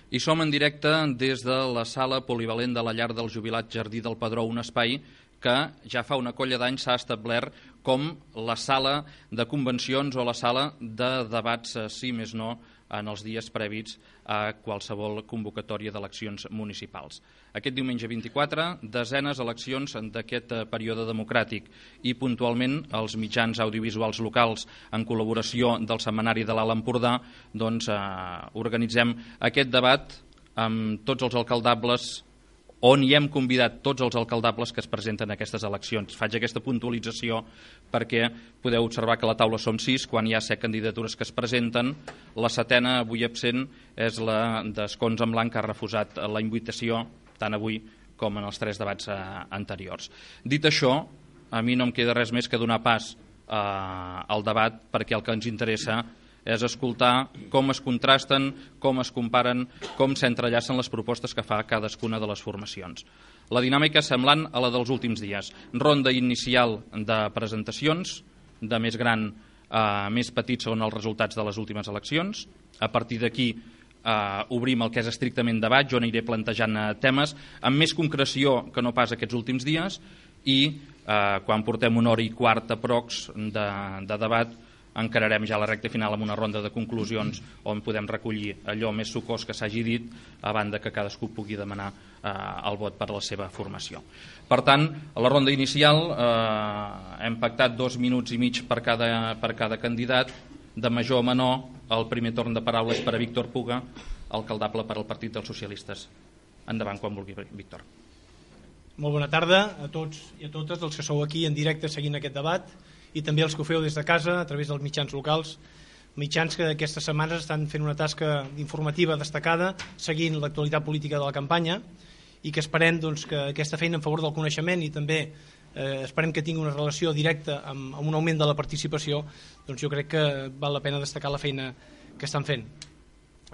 I som en directe des de la sala polivalent de la llar del jubilat Jardí del Pedró, un espai que ja fa una colla d'anys s'ha establert com la sala de convencions o la sala de debats, si més no, en els dies previs a qualsevol convocatòria d'eleccions municipals. Aquest diumenge 24, desenes eleccions d'aquest període democràtic i puntualment els mitjans audiovisuals locals en col·laboració del Setmanari de l'Alt Empordà organitzem aquest debat amb tots els alcaldables on hi hem convidat tots els alcaldables que es presenten a aquestes eleccions. Faig aquesta puntualització perquè podeu observar que a la taula som 6, quan hi ha 7 candidatures que es presenten. La setena, avui absent, és la d'Escons en Blanc, que ha refusat la invitació tant avui com en els 3 debats anteriors. Dit això, a mi no em queda res més que donar pas al debat, perquè el que ens interessa és escoltar com es contrasten, com es comparen, com s'entrellacen les propostes que fa cadascuna de les formacions. La dinàmica és semblant a la dels últims dies. Ronda inicial de presentacions, de més gran a més petit segons els resultats de les últimes eleccions. A partir d'aquí obrim el que és estrictament debat, jo aniré plantejant temes amb més concreció que no pas aquests últims dies i quan portem 1 hora i quart aprox de debat encararem ja la recta final amb una ronda de conclusions on podem recollir allò més sucós que s'hagi dit a banda que cadascú pugui demanar el vot per a la seva formació. Per tant, a la ronda inicial hem pactat 2 minuts i mig per cada candidat, de major a menor. El primer torn de paraula és per a Víctor Puga, alcaldable per al Partit dels Socialistes. Endavant quan vulgui, Víctor. Molt bona tarda a tots i a totes els que sou aquí en directe seguint aquest debat i també els que ho feu des de casa a través dels mitjans locals, mitjans que aquestes setmanes estan fent una tasca informativa destacada seguint l'actualitat política de la campanya i que esperem que aquesta feina en favor del coneixement i també esperem que tingui una relació directa amb un augment de la participació, doncs jo crec que val la pena destacar la feina que estan fent.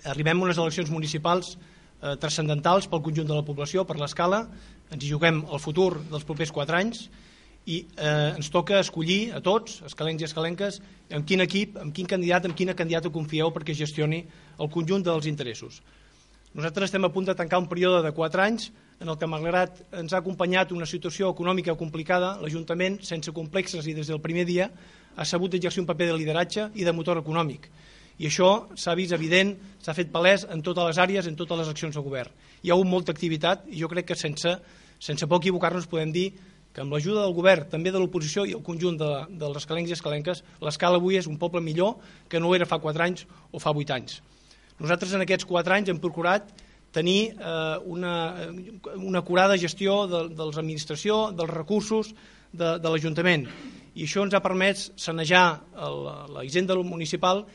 Arribem a unes eleccions municipals transcendentals pel conjunt de la població, per l'escala, ens hi juguem el futur dels propers 4 anys i ens toca escollir a tots, escalencs i escalenques, amb quin equip, amb quin candidat, amb quina candidata confieu perquè gestioni el conjunt dels interessos. Nosaltres estem a punt de tancar un període de 4 anys en el que, malgrat ens ha acompanyat una situació econòmica complicada, l'Ajuntament, sense complexes i des del primer dia, ha sabut exercir un paper de lideratge i de motor econòmic. I això s'ha vist evident, s'ha fet palès en totes les àrees, en totes les accions de govern. Hi ha hagut molta activitat i jo crec que sense por equivocar-nos podem dir que amb l'ajuda del govern, també de l'oposició i el conjunt dels escalencs i escalenques, l'escala avui és un poble millor que no ho era fa 4 anys o fa 8 anys. Nosaltres en aquests 4 anys hem procurat tenir una acurada gestió de l'administració, dels recursos de l'Ajuntament, i això ens ha permès sanejar la hisenda municipal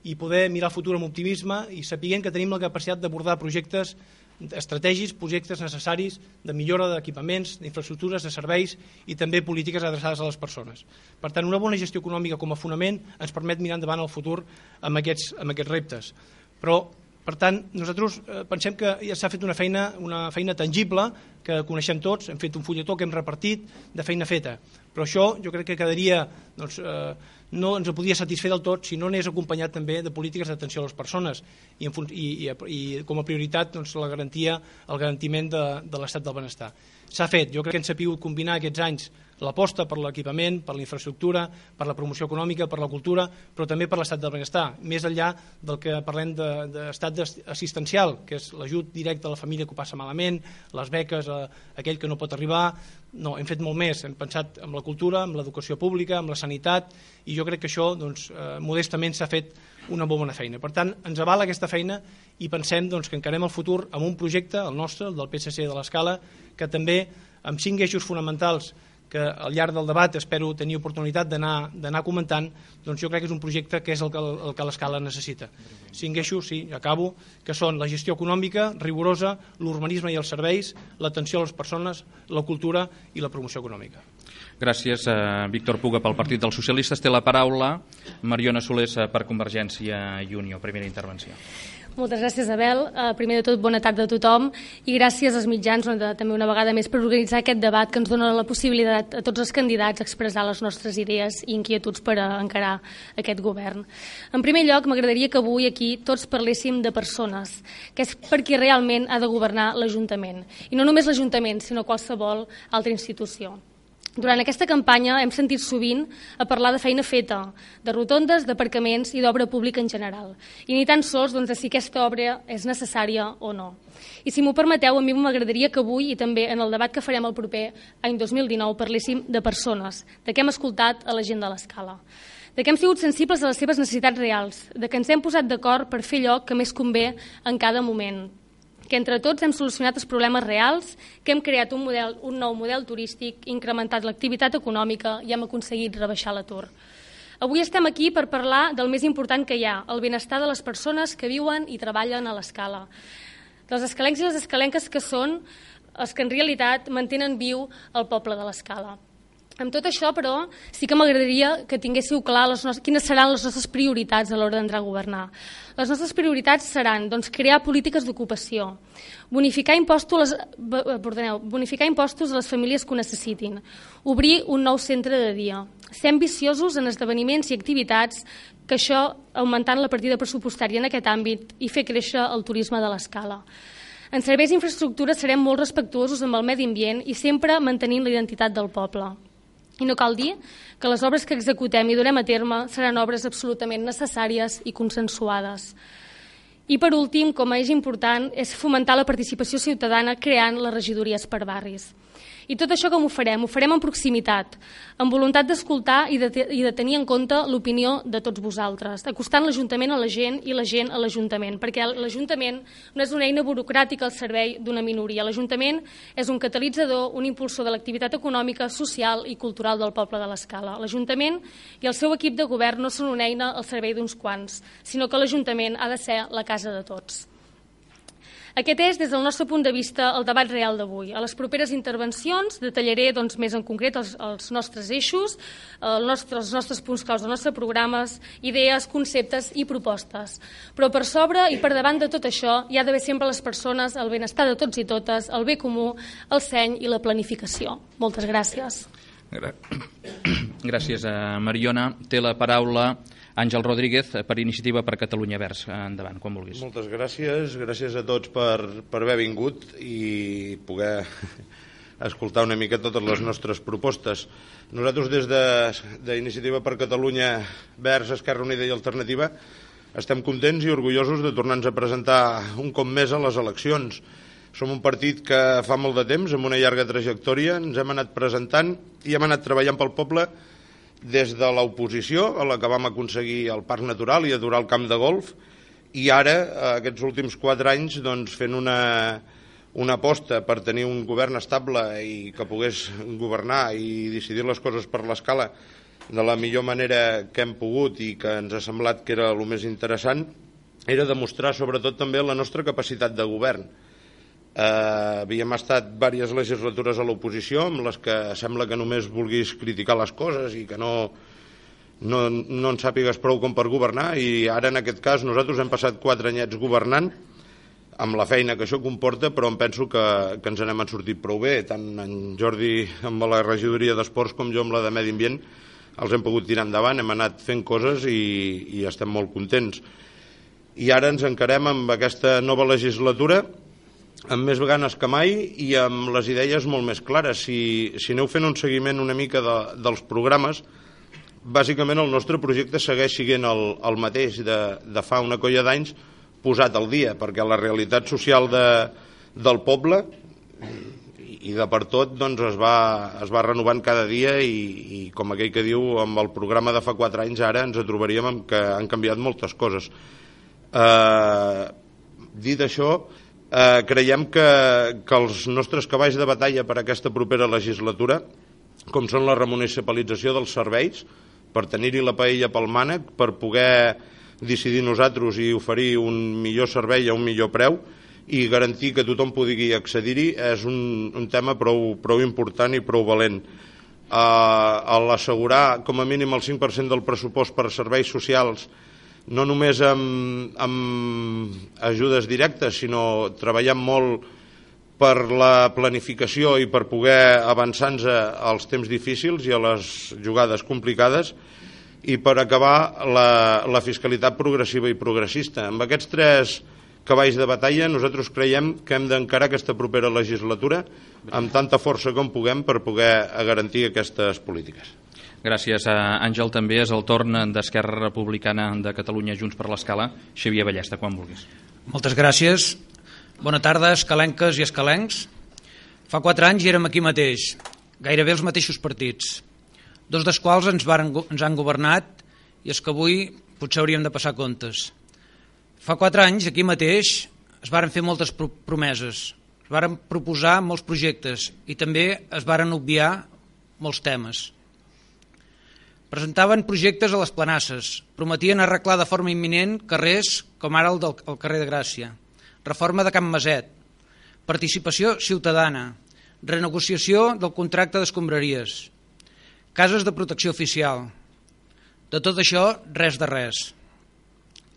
i poder mirar el futur amb optimisme i sapiguent que tenim la capacitat d'abordar projectes estratègics, projectes necessaris de millora d'equipaments, d'infraestructures, de serveis i també polítiques adreçades a les persones. Per tant, una bona gestió econòmica com a fonament ens permet mirar endavant el futur amb aquests reptes. Però, per tant, nosaltres pensem que ja s'ha fet una feina tangible que coneixem tots, hem fet un fulletó que hem repartit de feina feta, però això jo crec que quedaria, no ens podria satisfer del tot si no anés acompanyat també de polítiques d'atenció a les persones i com a prioritat el garantiment de l'estat del benestar. S'ha fet, jo crec que hem sabut combinar aquests anys l'aposta per l'equipament, per la infraestructura, per la promoció econòmica, per la cultura, però també per l'estat del benestar, més enllà del que parlem d'estat assistencial, que és l'ajut directe a la família que ho passa malament, les beques a aquell que no pot arribar. No, hem fet molt més, hem pensat en la cultura, en l'educació pública, en la sanitat, i jo crec que això, modestament, s'ha fet una molt bona feina. Per tant, ens avala aquesta feina i pensem que encarem el futur amb un projecte, el nostre, el del PSC de l'Escala, que també amb 5 eixos fonamentals que al llarg del debat espero tenir oportunitat d'anar comentant, doncs jo crec que és un projecte que és el que l'Escala necessita. 5 eixos, sí, acabo, que són la gestió econòmica rigorosa, l'urbanisme i els serveis, l'atenció a les persones, la cultura i la promoció econòmica. Gràcies, Víctor Puga pel Partit dels Socialistes. Té la paraula Mariona Solés per Convergència i Unió. Primera intervenció. Moltes gràcies, Abel. Primer de tot, bona tarda a tothom i gràcies als mitjans també una vegada més per organitzar aquest debat que ens dona la possibilitat a tots els candidats a expressar les nostres idees i inquietuds per encarar aquest govern. En primer lloc, m'agradaria que avui aquí tots parléssim de persones, que és per qui realment ha de governar l'Ajuntament. I no només l'Ajuntament, sinó qualsevol altra institució. Durant aquesta campanya hem sentit sovint a parlar de feina feta, de rotondes, d'aparcaments i d'obra pública en general. I ni tan sols de si aquesta obra és necessària o no. I si m'ho permeteu, a mi m'agradaria que avui i també en el debat que farem el proper any 2019 parléssim de persones, de què hem escoltat a la gent de l'Escala, de què hem sigut sensibles a les seves necessitats reals, de que ens hem posat d'acord per fer allò que més convé en cada moment, que entre tots hem solucionat els problemes reals, que hem creat un nou model turístic, incrementat l'activitat econòmica i hem aconseguit rebaixar l'atur. Avui estem aquí per parlar del més important que hi ha, el benestar de les persones que viuen i treballen a l'Escala. Dels escalencs i les escalenques que són els que en realitat mantenen viu el poble de l'Escala. Amb tot això, però, sí que m'agradaria que tinguéssiu clar quines seran les nostres prioritats a l'hora d'entrar a governar. Les nostres prioritats seran crear polítiques d'ocupació, bonificar impostos a les famílies que ho necessitin, obrir un nou centre de dia, ser ambiciosos en esdeveniments i activitats, que això augmentant la partida pressupostària en aquest àmbit i fer créixer el turisme de l'Escala. En serveis i infraestructures serem molt respectuosos amb el medi ambient i sempre mantenint la identitat del poble. I no cal dir que les obres que executem i durem a terme seran obres absolutament necessàries i consensuades. I per últim, com a eix important, és fomentar la participació ciutadana creant les regidories per barris. I tot això com ho farem? Ho farem en proximitat, amb voluntat d'escoltar i de tenir en compte l'opinió de tots vosaltres, acostant l'Ajuntament a la gent i la gent a l'Ajuntament, perquè l'Ajuntament no és una eina burocràtica al servei d'una minoria. L'Ajuntament és un catalitzador, un impulsor de l'activitat econòmica, social i cultural del poble de l'Escala. L'Ajuntament i el seu equip de govern no són una eina al servei d'uns quants, sinó que l'Ajuntament ha de ser la casa de tots. Aquest és, des del nostre punt de vista, el debat real d'avui. A les properes intervencions detallaré més en concret els nostres eixos, els nostres punts claus dels nostres programes, idees, conceptes i propostes. Però per sobre i per davant de tot això hi ha d'haver sempre les persones, el benestar de tots i totes, el bé comú, el seny i la planificació. Moltes gràcies. Gràcies, Mariona. Té la paraula Àngel Rodríguez, per Iniciativa per Catalunya Verds. Endavant, quan vulguis. Moltes gràcies. Gràcies a tots per haver vingut i poder escoltar una mica totes les nostres propostes. Nosaltres, des d'Iniciativa per Catalunya Verds, Esquerra Unida i Alternativa, estem contents i orgullosos de tornar-nos a presentar un cop més a les eleccions. Som un partit que fa molt de temps, amb una llarga trajectòria, ens hem anat presentant i hem anat treballant pel poble des de l'oposició, a la que vam aconseguir el Parc Natural i adorar el camp de golf, i ara, aquests últims 4 anys, fent una aposta per tenir un govern estable i que pogués governar i decidir les coses per l'Escala de la millor manera que hem pogut i que ens ha semblat que era el més interessant, era demostrar sobretot també la nostra capacitat de govern. Havíem estat diverses legislatures a l'oposició amb les que sembla que només vulguis criticar les coses i que no en sàpigues prou com per governar, i ara en aquest cas nosaltres hem passat 4 anyets governant amb la feina que això comporta, però em penso que ens n'hem sortit prou bé, tant en Jordi amb la regidoria d'Esports com jo amb la de Medi Ambient els hem pogut tirar endavant, hem anat fent coses i estem molt contents. I ara ens encarem amb aquesta nova legislatura amb més ganes que mai i amb les idees molt més clares. Si aneu fent un seguiment una mica dels programes, bàsicament el nostre projecte segueix sent el mateix de fa una colla d'anys posat al dia, perquè la realitat social del poble i de per tot es va renovant cada dia i com aquell que diu, amb el programa de fa 4 anys ara ens trobaríem amb que han canviat moltes coses. Dit això, creiem que els nostres cavalls de batalla per a aquesta propera legislatura, com són la remunicipalització dels serveis, per tenir-hi la paella pel mànec, per poder decidir nosaltres i oferir un millor servei a un millor preu i garantir que tothom pugui accedir-hi, és un tema prou important i prou valent. A l'assegurar com a mínim el 5% del pressupost per a serveis socials no només amb ajudes directes, sinó treballant molt per la planificació i per poder avançar-nos als temps difícils i a les jugades complicades, i per acabar la fiscalitat progressiva i progressista. Amb aquests 3 cavalls de batalla nosaltres creiem que hem d'encarar aquesta propera legislatura amb tanta força com puguem per poder garantir aquestes polítiques. Gràcies, Àngel. També és el torn d'Esquerra Republicana de Catalunya, Junts per l'Escala. Xavier Ballesta, quan vulguis. Moltes gràcies. Bona tarda, escalenques i escalencs. Fa 4 anys érem aquí mateix, gairebé els mateixos partits, 2 dels quals ens han governat, i és que avui potser hauríem de passar comptes. Fa 4 anys, aquí mateix, es varen fer moltes promeses, es varen proposar molts projectes i també es varen obviar molts temes. Presentaven projectes a les planasses, prometien arreglar de forma imminent carrers com ara el carrer de Gràcia, reforma de Can Maset, participació ciutadana, renegociació del contracte d'escombraries, cases de protecció oficial. De tot això, res de res.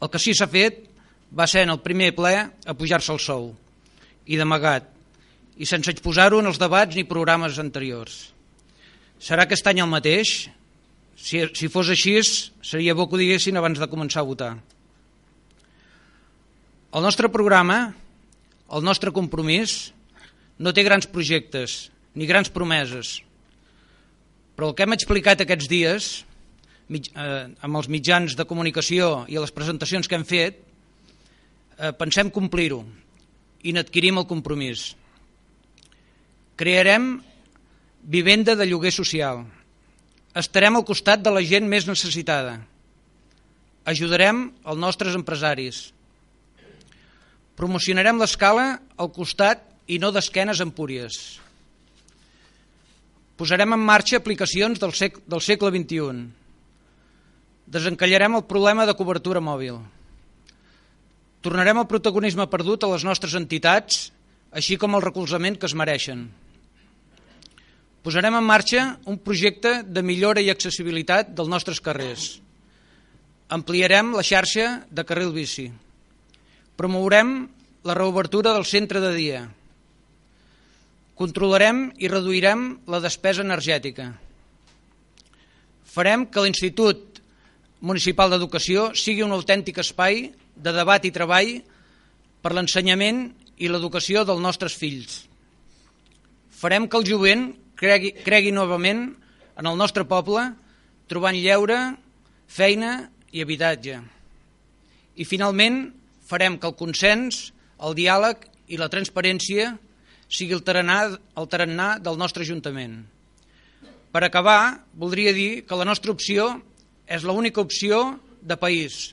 El que sí s'ha fet va ser en el primer ple apujar-se el sou, i d'amagat, i sense exposar-ho en els debats ni programes anteriors. Serà aquest any el mateix? Si fos així, seria bo que ho diguessin abans de començar a votar. El nostre programa, el nostre compromís, no té grans projectes ni grans promeses, però el que hem explicat aquests dies amb els mitjans de comunicació i a les presentacions que hem fet, pensem complir-ho i n'adquirim el compromís. Crearem vivenda de lloguer social, estarem al costat de la gent més necessitada, ajudarem els nostres empresaris, promocionarem l'Escala al costat i no d'esquenes empúries. Posarem en marxa aplicacions del segle XXI. Desencallarem el problema de cobertura mòbil. Tornarem el protagonisme perdut a les nostres entitats, així com el recolzament que es mereixen. Posarem en marxa un projecte de millora i accessibilitat dels nostres carrers. Ampliarem la xarxa de carril bici. Promourem la reobertura del centre de dia. Controlarem i reduirem la despesa energètica. Farem que l'Institut Municipal d'Educació sigui un autèntic espai de debat i treball per l'ensenyament i l'educació dels nostres fills. Farem que el jovent cregui novament en el nostre poble, trobant lleure, feina i habitatge. I finalment farem que el consens, el diàleg i la transparència sigui el tarannà del nostre Ajuntament. Per acabar, voldria dir que la nostra opció és l'única opció de país.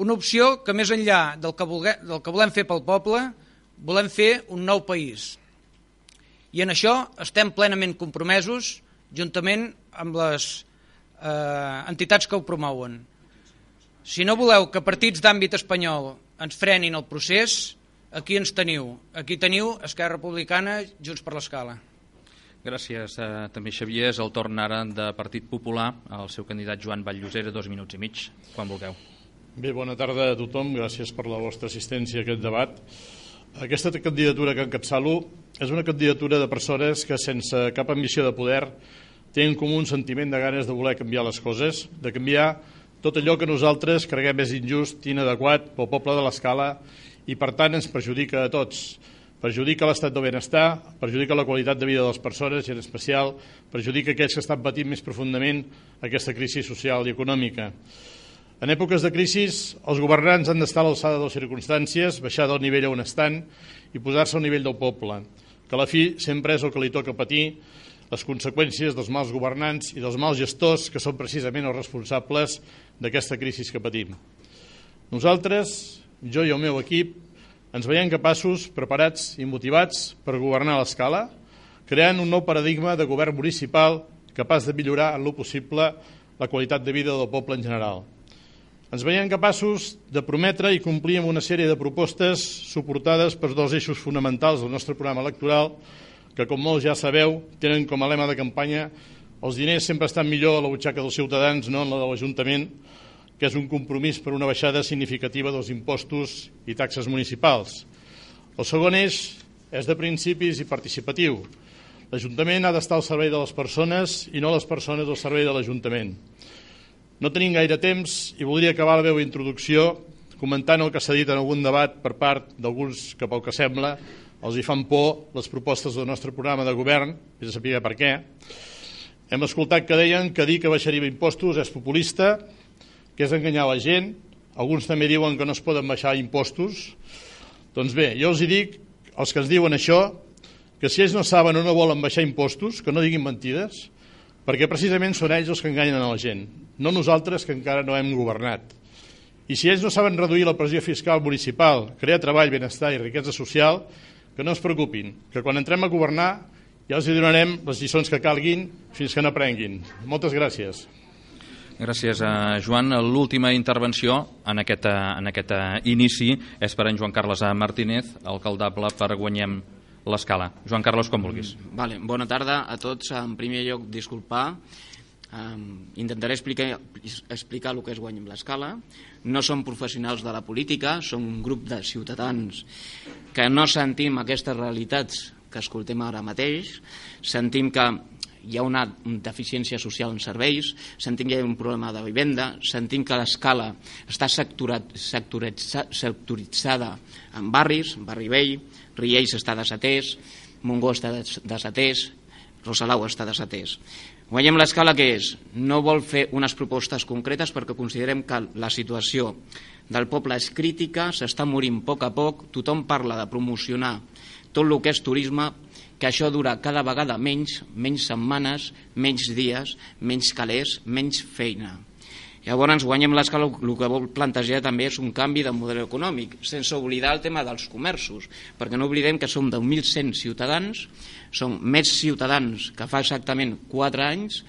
Una opció que més enllà del que volem fer pel poble, volem fer un nou país. I en això estem plenament compromesos, juntament amb les entitats que ho promouen. Si no voleu que partits d'àmbit espanyol ens frenin el procés, aquí ens teniu. Aquí teniu Esquerra Republicana, Junts per l'Escala. Gràcies també, Xavier. És el torn ara de Partit Popular, el seu candidat Joan Vall-llosera, 2 minuts i mig, quan vulgueu. Bé, bona tarda a tothom. Gràcies per la vostra assistència a aquest debat. Aquesta candidatura que encapçalo és una candidatura de persones que, sense cap ambició de poder, tenen com un sentiment de ganes de voler canviar les coses, de canviar tot allò que nosaltres creguem és injust i inadequat pel poble de l'Escala i, per tant, ens perjudica a tots. Perjudica l'estat del benestar, perjudica la qualitat de vida de les persones i, en especial, perjudica aquells que estan patint més profundament aquesta crisi social i econòmica. En èpoques de crisi, els governants han d'estar a l'alçada de les circumstàncies, baixar del nivell on estan i posar-se al nivell del poble, que a la fi sempre és el que li toca patir les conseqüències dels mals governants i dels mals gestors que són precisament els responsables d'aquesta crisi que patim. Nosaltres, jo i el meu equip, ens veiem capaços, preparats i motivats per governar a l'Escala, creant un nou paradigma de govern municipal capaç de millorar en lo possible la qualitat de vida del poble en general. Ens veiem capaços de prometre i complir amb una sèrie de propostes suportades per 2 eixos fonamentals del nostre programa electoral que, com molts ja sabeu, tenen com a lema de campanya els diners sempre estan millor a la butxaca dels ciutadans, no en la de l'Ajuntament, que és un compromís per una baixada significativa dels impostos i taxes municipals. El segon eix és de principis i participatiu. L'Ajuntament ha d'estar al servei de les persones i no les persones al servei de l'Ajuntament. No tenim gaire temps i voldria acabar la meva introducció comentant el que s'ha dit en algun debat per part d'alguns que, pel que sembla, els hi fan por les propostes del nostre programa de govern, i de saber per què. Hem escoltat que deien que dir que baixaria impostos és populista, que és enganyar la gent. Alguns també diuen que no es poden baixar impostos. Doncs bé, jo els hi dic, els que ens diuen això, que si ells no saben o no volen baixar impostos, que no diguin mentides, perquè precisament són ells els que enganyen a la gent, no nosaltres que encara no hem governat. I si ells no saben reduir la pressió fiscal municipal, crear treball, benestar i riquesa social, que no es preocupin, que quan entrem a governar ja els donarem les lliçons que calguin fins que n'aprenguin. Moltes gràcies. Gràcies, Joan. L'última intervenció en aquest inici és per en Joan Carles Martínez, alcaldable per Guanyem l'Escala. Joan Carles, com vulguis. Bona tarda a tots. En primer lloc, disculpar. Intentaré explicar el que és Guanyem l'Escala. No som professionals de la política, som un grup de ciutadans que no sentim aquestes realitats que escoltem ara mateix, sentim que hi ha una deficiència social en serveis, sentim que hi ha un problema de vivenda, sentim que l'Escala està sectoritzada en barris, Barri Vell, Riells està desatès, Montgó està desatès, Rosalau està desatès. Guanyem l'Escala què és? No vol fer unes propostes concretes perquè considerem que la situació del poble és crítica, s'està morint a poc, tothom parla de promocionar tot el que és turisme, que això dura cada vegada menys setmanes, menys dies, menys calés, menys feina. Llavors, Guanyem l'Escala el que vol plantejar també és un canvi de model econòmic, sense oblidar el tema dels comerços, perquè no oblidem que som 10.100 ciutadans, som més ciutadans que fa exactament 4 anys,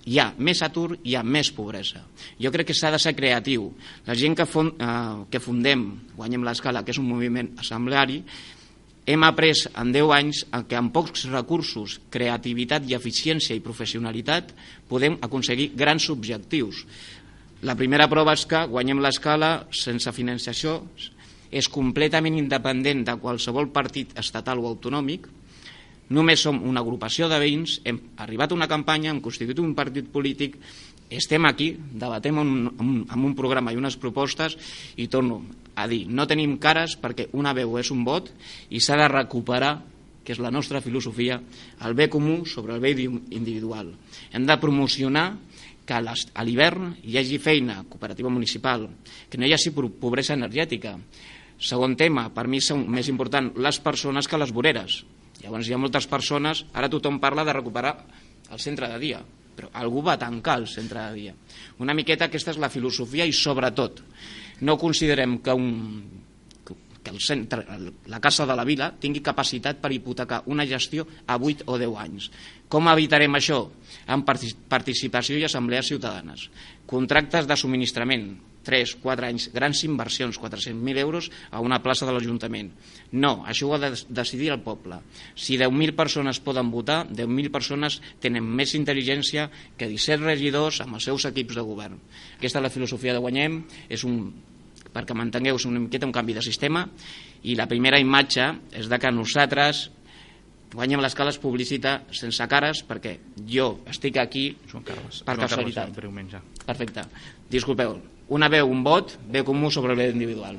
hi ha més atur, hi ha més pobresa. Jo crec que s'ha de ser creatiu. La gent que fundem Guanyem l'Escala, que és un moviment assembleari, hem après en 10 anys que amb pocs recursos, creativitat i eficiència i professionalitat podem aconseguir grans objectius. La primera prova és que Guanyem l'Escala, sense financiació, és completament independent de qualsevol partit estatal o autonòmic. Només som una agrupació de veïns, hem arribat a una campanya, hem constituït un partit polític, estem aquí, debatem amb un programa i unes propostes i torno a dir, no tenim cares perquè una veu és un vot i s'ha de recuperar, que és la nostra filosofia, el bé comú sobre el bé individual. Hem de promocionar que a l'hivern hi hagi feina, cooperativa municipal, que no hi hagi pobresa energètica. Segon tema, per mi són més important les persones que les voreres. Llavors hi ha moltes persones, ara tothom parla de recuperar el centre de dia, però algú va tancar el centre de dia. Una miqueta aquesta és la filosofia i sobretot no considerem que el centre, la Casa de la Vila tingui capacitat per hipotecar una gestió a 8 o 10 anys. Com evitarem això? Amb participació i assemblees ciutadanes. Contractes de subministrament, 3-4 anys, grans inversions, 400.000 euros a una plaça de l'Ajuntament. No, això ho ha de decidir el poble. Si 10.000 persones poden votar, 10.000 persones tenen més intel·ligència que 17 regidors amb els seus equips de govern. Aquesta és la filosofia de Guanyem, perquè m'entengueu, és una miqueta un canvi de sistema, i la primera imatge és de que nosaltres Guanyem l'Escala es publicita sense cares perquè jo estic aquí per casualitat. Perfecte. Disculpeu. Una veu, un vot, bé comú sobre el bé individual.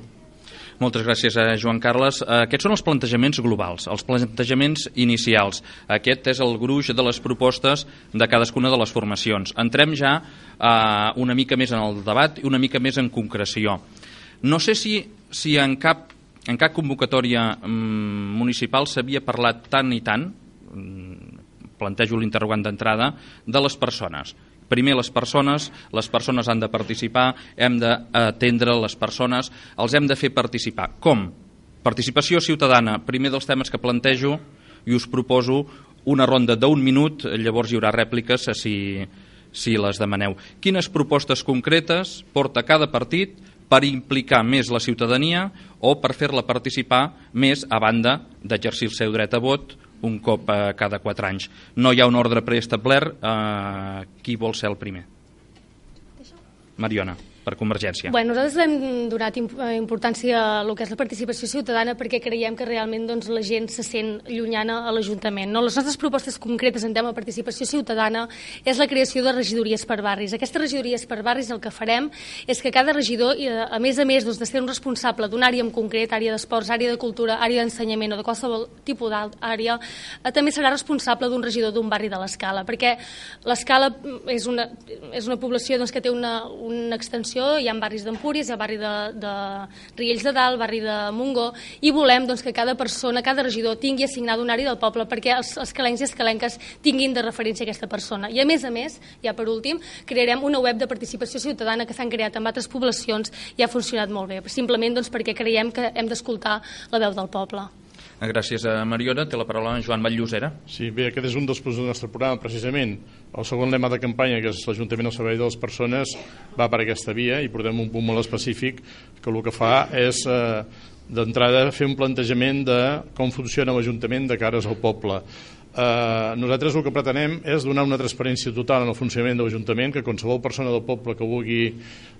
Moltes gràcies, Joan Carles. Aquests són els plantejaments globals, els plantejaments inicials. Aquest és el gruix de les propostes de cadascuna de les formacions. Entrem ja una mica més en el debat i una mica més en concreció. No sé si en cap convocatòria municipal s'havia parlat tant i tant, plantejo l'interrogant d'entrada, de les persones. Primer les persones han de participar, hem d'atendre les persones, els hem de fer participar. Com? Participació ciutadana, primer dels temes que plantejo, i us proposo una ronda d'un minut, llavors hi haurà rèpliques si les demaneu. Quines propostes concretes porta cada partit per implicar més la ciutadania o per fer-la participar més a banda d'exercir el seu dret a vot un cop cada 4 anys. No hi ha un ordre preestablert. Qui vol ser el primer? Mariona. per Convergència? Bé, nosaltres hem donat importància a el que és la participació ciutadana perquè creiem que realment la gent se sent llunyana a l'Ajuntament. Les nostres propostes concretes en tema de participació ciutadana és la creació de regidories per barris. Aquestes regidories per barris el que farem és que cada regidor, a més de ser un responsable d'una àrea en concret, àrea d'esports, àrea de cultura, àrea d'ensenyament o de qualsevol tipus d'àrea, també serà responsable d'un regidor d'un barri de l'Escala, perquè l'Escala és una població que té una extensió, hi ha barris d'Empúries, hi ha barri de Riells de Dalt, barri de Montgó, i volem que cada persona, cada regidor tingui assignada una àrea del poble perquè els escalencs i escalenques tinguin de referència aquesta persona. I a més, ja per últim, crearem una web de participació ciutadana que s'han creat en altres poblacions i ha funcionat molt bé, simplement perquè creiem que hem d'escoltar la veu del poble. Gràcies a Mariona. Té la paraula en Joan Batllosera. Sí, bé, aquest és un dels punts del nostre programa, precisament. El segon lema de campanya, que és l'Ajuntament al servei de les persones, va per aquesta via i portem un punt molt específic que el que fa és, d'entrada, fer un plantejament de com funciona l'Ajuntament de cares al poble. Nosaltres el que pretenem és donar una transparència total en el funcionament de l'Ajuntament, que qualsevol persona del poble que vulgui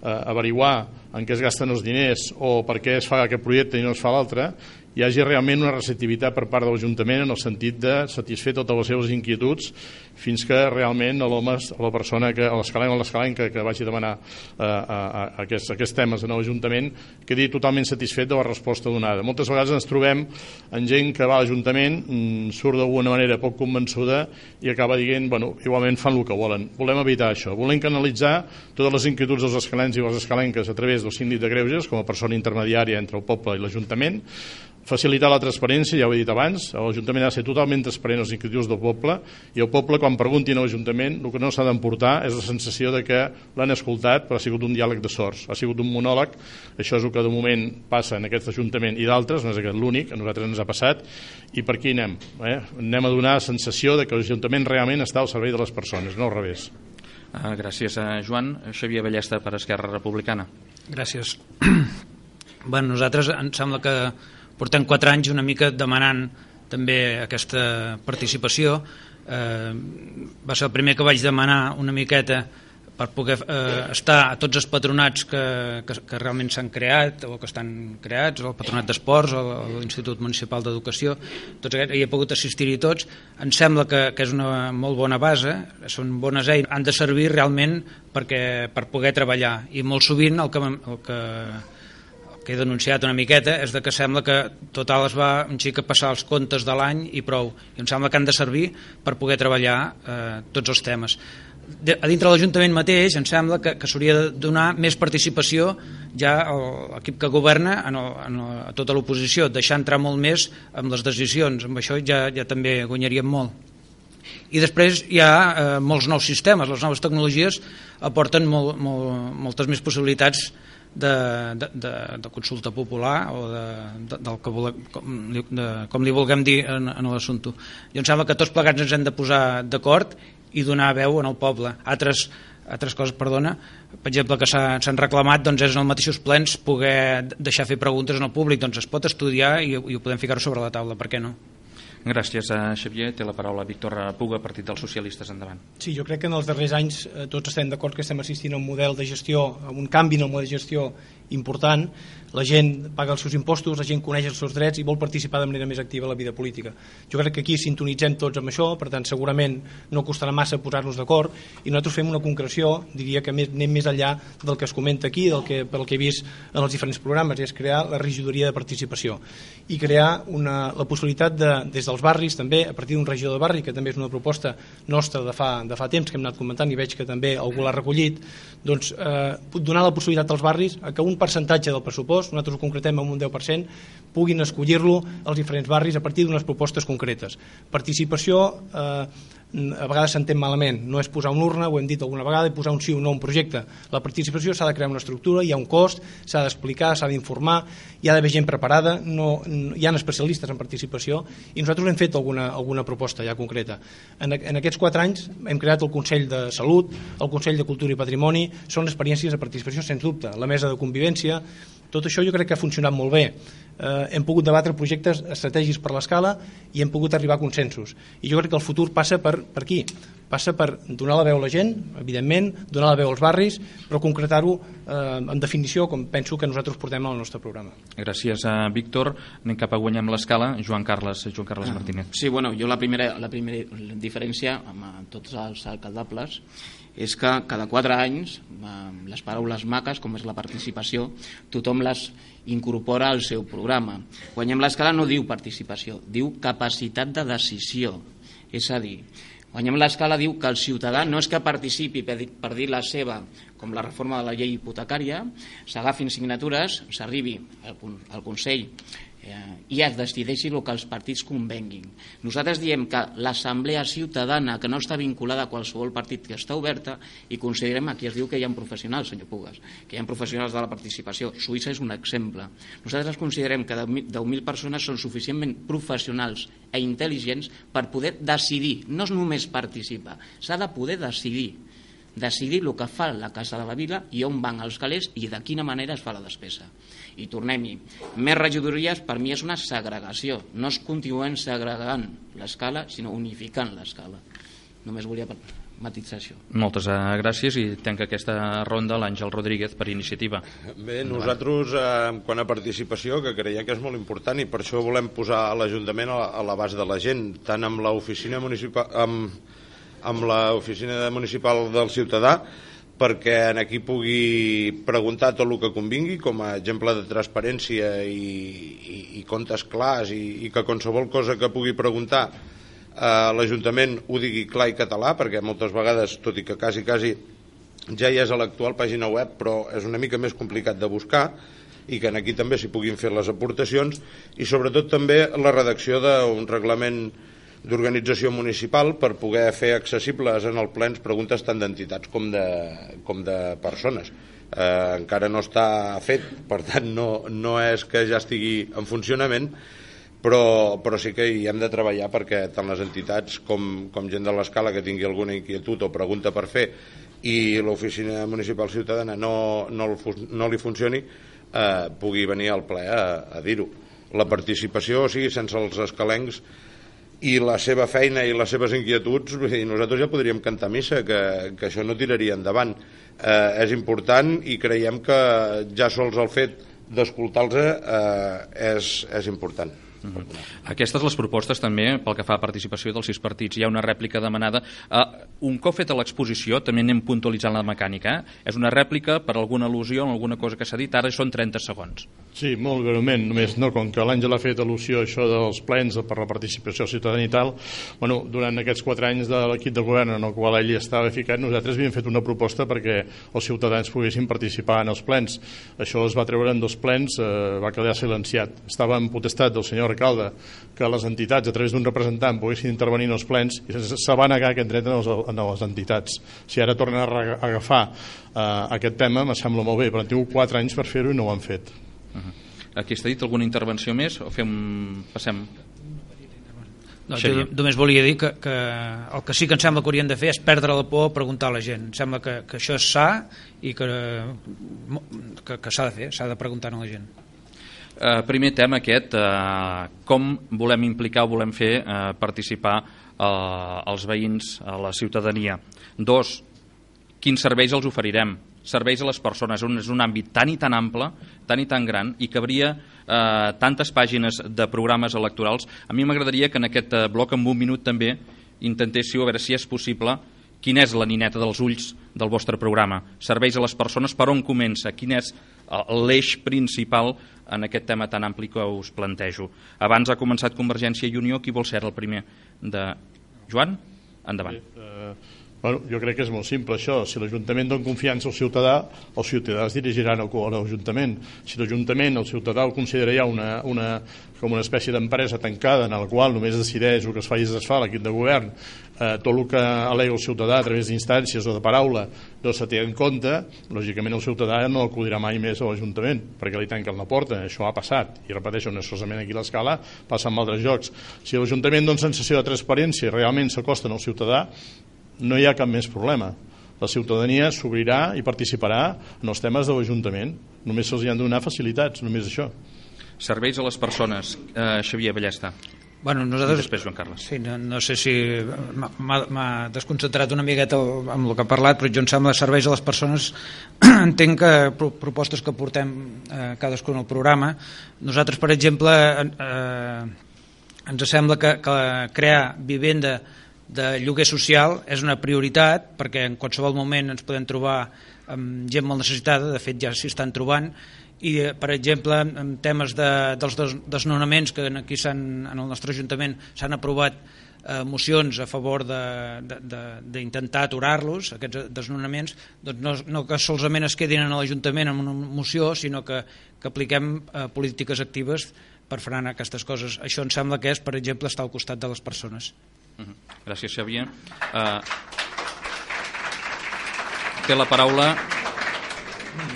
averiguar en què es gasten els diners o per què es fa aquest projecte i no es fa l'altre, hi hagi realment una receptivitat per part de l'Ajuntament en el sentit de satisfer totes les seves inquietuds fins que realment la persona, l'escalenc o l'escalenca que vagi a demanar aquests temes en l'Ajuntament quedi totalment satisfet de la resposta donada. Moltes vegades ens trobem en gent que va a l'Ajuntament, surt d'alguna manera poc convençuda i acaba dient, bueno, igualment fan el que volen. Volem evitar això. Volem canalitzar totes les inquietuds dels escalencs i les escalenques a través del síndic de Greuges com a persona intermediària entre el poble i l'Ajuntament, facilitar la transparència, ja ho he dit abans, l'Ajuntament ha de ser totalment transparent als inquietuds del poble i el poble, quan preguntin a l'Ajuntament, el que no s'ha d'emportar és la sensació de que l'han escoltat però ha sigut un diàleg de sords, ha sigut un monòleg. Això és el que de moment passa en aquest Ajuntament i d'altres, no és aquest l'únic, a nosaltres ens ha passat, i per aquí anem. Anem a donar la sensació de que l'Ajuntament realment està al servei de les persones, no al revés. Gràcies a Joan. Xavier Ballesta per Esquerra Republicana. Gràcies. Bueno, nosaltres em sembla que portem 4 anys una mica demanant també aquesta participació. Va ser el primer que vaig demanar una miqueta per poder estar a tots els patronats que realment s'han creat o que estan creats, el Patronat d'Esports o l'Institut Municipal d'Educació, tots aquests, hi he pogut assistir-hi tots. Em sembla que és una molt bona base, són bones eines, han de servir realment per poder treballar, i molt sovint el que he denunciat una miqueta és que sembla que total es va un xic a passar els comptes de l'any i prou, i em sembla que han de servir per poder treballar tots els temes. A dintre de l'Ajuntament mateix em sembla que s'hauria de donar més participació ja a l'equip que governa, a tota l'oposició, deixar entrar molt més amb les decisions. Amb això ja també guanyaríem molt. I després hi ha molts nous sistemes, les noves tecnologies aporten moltes més possibilitats de consulta popular o com li vulguem dir en l'assumpte. Jo em sembla que tots plegats ens hem de posar d'acord i donar veu en el poble. Altres coses, perdona, per exemple, que s'han reclamat és en els mateixos plens poder deixar fer preguntes en el públic, doncs es pot estudiar i ho podem ficar sobre la taula, per què no? Gràcies a Xavier. Té la paraula Víctor Puga, Partit dels Socialistes, endavant. Sí, jo crec que en els darrers anys tots estem d'acord que estem assistint a un model de gestió, a un canvi en el model de gestió important. La gent paga els seus impostos, la gent coneix els seus drets i vol participar de manera més activa a la vida política. Jo crec que aquí sintonitzem tots amb això, per tant segurament no costarà massa posar-nos d'acord, i nosaltres fem una concreció, diria que anem més enllà del que es comenta aquí, pel que he vist en els diferents programes, és crear la regidoria de participació i crear la possibilitat des dels barris també, a partir d'un regidor de barri, que també és una proposta nostra de fa temps que hem anat comentant i veig que també algú l'ha recollit, doncs donar la possibilitat als barris a que un percentatge del pressupost, nosaltres ho concretem en un 10%, puguin escollir-lo als diferents barris a partir d'unes propostes concretes. Participació a vegades s'entén malament, no és posar una urna, ho hem dit alguna vegada, i posar un sí o no a un projecte. La participació s'ha de crear una estructura, hi ha un cost, s'ha d'explicar, s'ha d'informar, hi ha d'haver gent preparada, hi ha especialistes en participació, i nosaltres hem fet alguna proposta ja concreta. En aquests 4 anys hem creat el Consell de Salut, el Consell de Cultura i Patrimoni, són experiències de participació sens dubte, la mesa de convivència. Tot això jo crec que ha funcionat molt bé. Hem pogut debatre projectes estratègics per l'escala i hem pogut arribar a consensos. I jo crec que el futur passa per aquí, passa per donar la veu a la gent, evidentment, donar la veu als barris, però concretar-ho en definició, com penso que nosaltres portem al nostre programa. Gràcies, Víctor. Anem cap a Guanyem l'Escala. Joan Carles Martínez. Sí, bueno, jo la primera diferència amb tots els alcaldables és que cada 4 anys les paraules maques, com és la participació, tothom les incorpora al seu programa. Guanyem l'Escala no diu participació, diu capacitat de decisió. És a dir, Guanyem l'Escala diu que el ciutadà no és que participi per dir la seva, com la reforma de la llei hipotecària, s'agafin signatures, s'arribi al Consell i es decideixi el que els partits convenguin. Nosaltres diem que l'assemblea ciutadana, que no està vinculada a qualsevol partit, que està oberta, i considerem, aquí es diu que hi ha professionals, senyor Pugas, que hi ha professionals de la participació. Suïssa és un exemple. Nosaltres considerem que 10.000 persones són suficientment professionals i intel·ligents per poder decidir, no és només participar, s'ha de poder decidir el que fa la Casa de la Vila i on van els calés i de quina manera es fa la despesa. I tornem-hi, més regidories per mi és una segregació, no es continuen segregant l'Escala, sinó unificant l'Escala. Només volia matitzar això. Moltes gràcies i tanca aquesta ronda l'Àngel Rodríguez per iniciativa. Bé, nosaltres, quant a participació, que creiem que és molt important i per això volem posar l'Ajuntament a l'abast de la gent, tant amb l'oficina municipal, amb l'oficina municipal del ciutadà, perquè en aquí pugui preguntar tot el que convingui, com a exemple de transparència i comptes clars, i que qualsevol cosa que pugui preguntar l'Ajuntament ho digui clar i català, perquè moltes vegades, tot i que quasi ja hi és a l'actual pàgina web, però és una mica més complicat de buscar, i que aquí també s'hi puguin fer les aportacions, i sobretot també la redacció d'un reglament d'organització municipal per poder fer accessibles en el plens preguntes tant d'entitats com de persones. Encara no està fet, per tant no és que ja estigui en funcionament, però sí que hi hem de treballar perquè tant les entitats com gent de l'Escala que tingui alguna inquietud o pregunta per fer i l'oficina municipal ciutadana no li funcioni, pugui venir al ple a dir-ho. La participació, o sigui, sense els escalencs i la seva feina i les seves inquietuds, nosaltres ja podríem cantar missa, que això no tiraria endavant. És important i creiem que ja sols el fet d'escoltar-los és important. Aquestes les propostes també pel que fa a participació dels 6 partits. Hi ha una rèplica demanada. Un cop feta l'exposició, també anem puntualitzant la mecànica. És una rèplica per alguna al·lusió en alguna cosa que s'ha dit, ara són 30 segons. Sí, molt breument, només com que l'Àngel ha fet al·lusió a això dels plens per la participació ciutadana i tal, durant aquests 4 anys de l'equip de govern en el qual ell estava ficat, nosaltres havíem fet una proposta perquè els ciutadans poguessin participar en els plens. Això es va treure en 2 plens, va quedar silenciat. Estava en potestat del senyor alcalde que les entitats a través d'un representant poguessin intervenir en els plens i se va negar aquest dret a les entitats. Si ara tornen a agafar aquest tema em sembla molt bé, però han tingut 4 anys per fer-ho i no ho han fet. Aquí està dit alguna intervenció més o passem? No, jo només volia dir que el que sí que em sembla que haurien de fer és perdre la por a preguntar a la gent. Em sembla que això és sa i que s'ha de fer, s'ha de preguntar a la gent. Primer tema aquest, com volem implicar o volem fer participar els veïns, a la ciutadania. 2, quins serveis els oferirem? Serveis a les persones. És un àmbit tan i tan ample, tan i tan gran, i que hauria tantes pàgines de programes electorals. A mi m'agradaria que en aquest bloc, en un minut també, intentéssiu a veure si és possible quina és la nineta dels ulls del vostre programa. Serveis a les persones, per on comença? Quin és l'eix principal en aquest tema tan ampli que us plantejo? Abans ha començat Convergència i Unió. Qui vol ser el primer? Joan? Endavant. Jo crec que és molt simple això. Si l'Ajuntament dona confiança al ciutadà, els ciutadans dirigiran a l'Ajuntament. Si l'Ajuntament, el ciutadà, el considera ja com una espècie d'empresa tancada en la qual només decideix el que es fa i es desfà l'equip de govern, tot el que al·lega el ciutadà a través d'instàncies o de paraula no se té en compte, lògicament el ciutadà no acudirà mai més a l'Ajuntament perquè li tanquen la porta. Això ha passat i repeteixo, no solament aquí a l'Escala, passa en altres llocs. Si l'Ajuntament dona sensació de transparència i realment s'acosten al ciutadà, no hi ha cap més problema. La ciutadania s'obrirà i participarà en els temes de l'Ajuntament. Només se'ls han de donar facilitats, només això. Serveis a les persones. Xavier Ballesta. Bueno, nosaltres, després Joan Carles. Sí, no sé si m'ha desconcentrat una miqueta amb el que ha parlat, però jo em sembla serveis a les persones. Entenc que propostes que portem cadascun al programa. Nosaltres, per exemple, ens sembla que crear vivenda de lloguer social és una prioritat, perquè en qualsevol moment ens podem trobar amb gent molt necessitada, de fet ja s'hi estan trobant, i per exemple en temes dels desnonaments, que aquí en el nostre Ajuntament s'han aprovat mocions a favor d'intentar aturar-los, aquests desnonaments, doncs no que solament es quedin en l'Ajuntament amb una moció, sinó que apliquem polítiques actives per frenar aquestes coses. Això em sembla que és, per exemple, estar al costat de les persones. Gràcies, Xavier. Té la paraula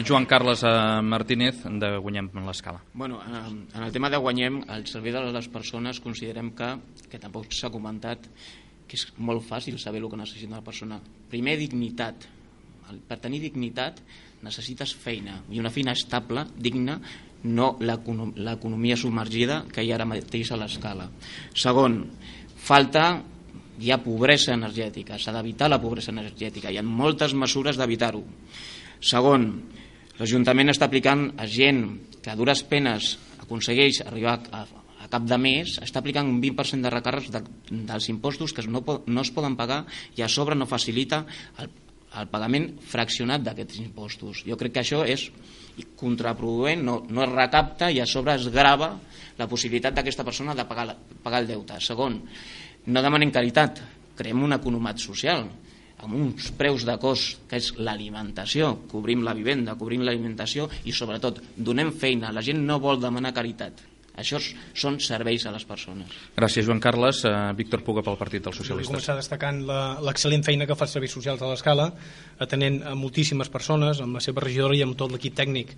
Joan Carles Martínez, de Guanyem l'Escala. Bueno, en el tema de Guanyem, el servei de les persones considerem que tampoc s'ha comentat, que és molt fàcil saber el que necessita una persona. Primer, dignitat. Per tenir dignitat necessites feina, i una feina estable, digna, no l'economia submergida que hi ha ara mateix a l'Escala. Segon, hi ha pobresa energètica, s'ha d'evitar la pobresa energètica, hi ha moltes mesures d'evitar-ho. Segon, l'Ajuntament està aplicant a gent que a dures penes aconsegueix arribar a cap de mes, està aplicant un 20% de recàrrecs dels impostos que no es poden pagar, i a sobre no facilita el pagament fraccionat d'aquests impostos. Jo crec que això és contraproduent, no es recapta, i a sobre es grava la possibilitat d'aquesta persona de pagar el deute. Segon, no demanem caritat, creem un economat social amb uns preus de cost, que és l'alimentació, cobrim la vivenda, cobrim l'alimentació, i sobretot donem feina. La gent no vol demanar caritat. Això són serveis a les persones. Gràcies, Joan Carles. Víctor Puga, pel Partit dels Socialistes. Vull començar destacant l'excel·lent feina que fa els serveis socials a l'Escala, atenent a moltíssimes persones, amb la seva regidora i amb tot l'equip tècnic.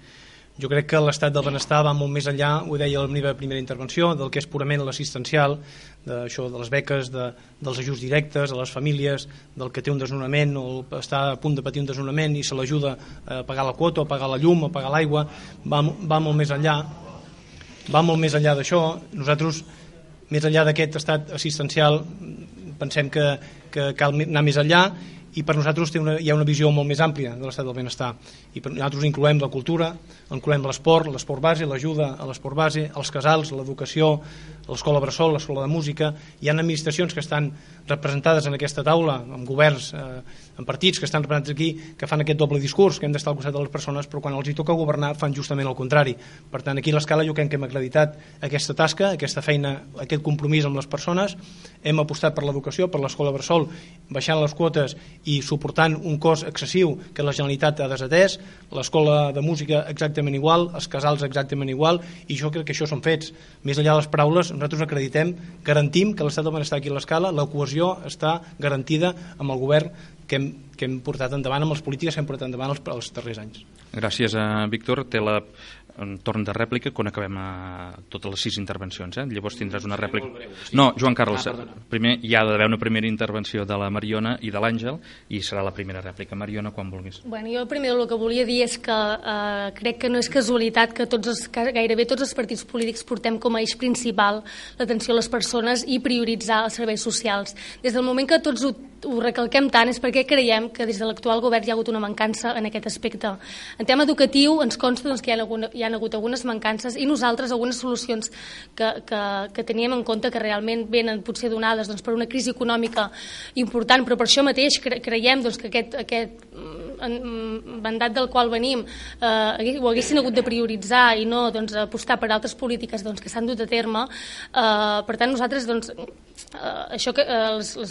Jo crec que l'estat del benestar va molt més enllà, ho deia a la meva primera intervenció, del que és purament l'assistencial, d'això de les beques, dels ajuts directes a les famílies, del que té un desnonament o està a punt de patir un desnonament i se l'ajuda a pagar la quota, a pagar la llum, a pagar l'aigua. Va molt més enllà. Va molt més enllà d'això. Nosaltres, més enllà d'aquest estat assistencial, pensem que cal anar més enllà, i per nosaltres hi ha una visió molt més àmplia de l'estat del benestar, i per nosaltres incloem la cultura, incloem l'esport base, l'ajuda a l'esport base, els casals, l'educació, l'escola bressol, l'escola de música. Hi ha administracions que estan representades en aquesta taula, amb governs, amb partits que estan representats aquí, que fan aquest doble discurs, que hem d'estar al costat de les persones, però quan els hi toca governar fan justament el contrari. Per tant, aquí a l'Escala jo crec que hem acreditat aquesta tasca, aquesta feina, aquest compromís amb les persones. Hem apostat per l'educació, per l'escola bressol, baixant les quotes i suportant un cost excessiu que la Generalitat ha desatès, l'escola de música exactament igual, els casals exactament igual, i jo crec que això són fets. Més enllà de les paraules, nosaltres acreditem, garantim que l'estat del benestar aquí a l'Escala, la cohesió està garantida amb el govern que hem portat endavant, amb les polítiques que hem portat endavant els darrers anys. Gràcies, Víctor. Té un torn de rèplica quan acabem totes les 6 intervencions. Llavors tindràs una rèplica. No, Joan Carles, primer hi ha d'haver una primera intervenció de la Mariona i de l'Àngel, i serà la primera rèplica. Mariona, quan vulguis. Bueno, jo primer el que volia dir és que crec que no és casualitat que gairebé tots els partits polítics portem com a eix principal l'atenció a les persones i prioritzar els serveis socials. Des del moment que tots ho recalquem tant és perquè creiem que des de l'actual govern hi ha hagut una mancança en aquest aspecte. En tema educatiu ens consta que hi ha hagut algunes mancances, i nosaltres algunes solucions que teníem en compte que realment venen potser donades per una crisi econòmica important, però per això mateix creiem que aquest mandat del qual venim ho haguessin hagut de prioritzar i no apostar per altres polítiques que s'han dut a terme. Per tant, nosaltres les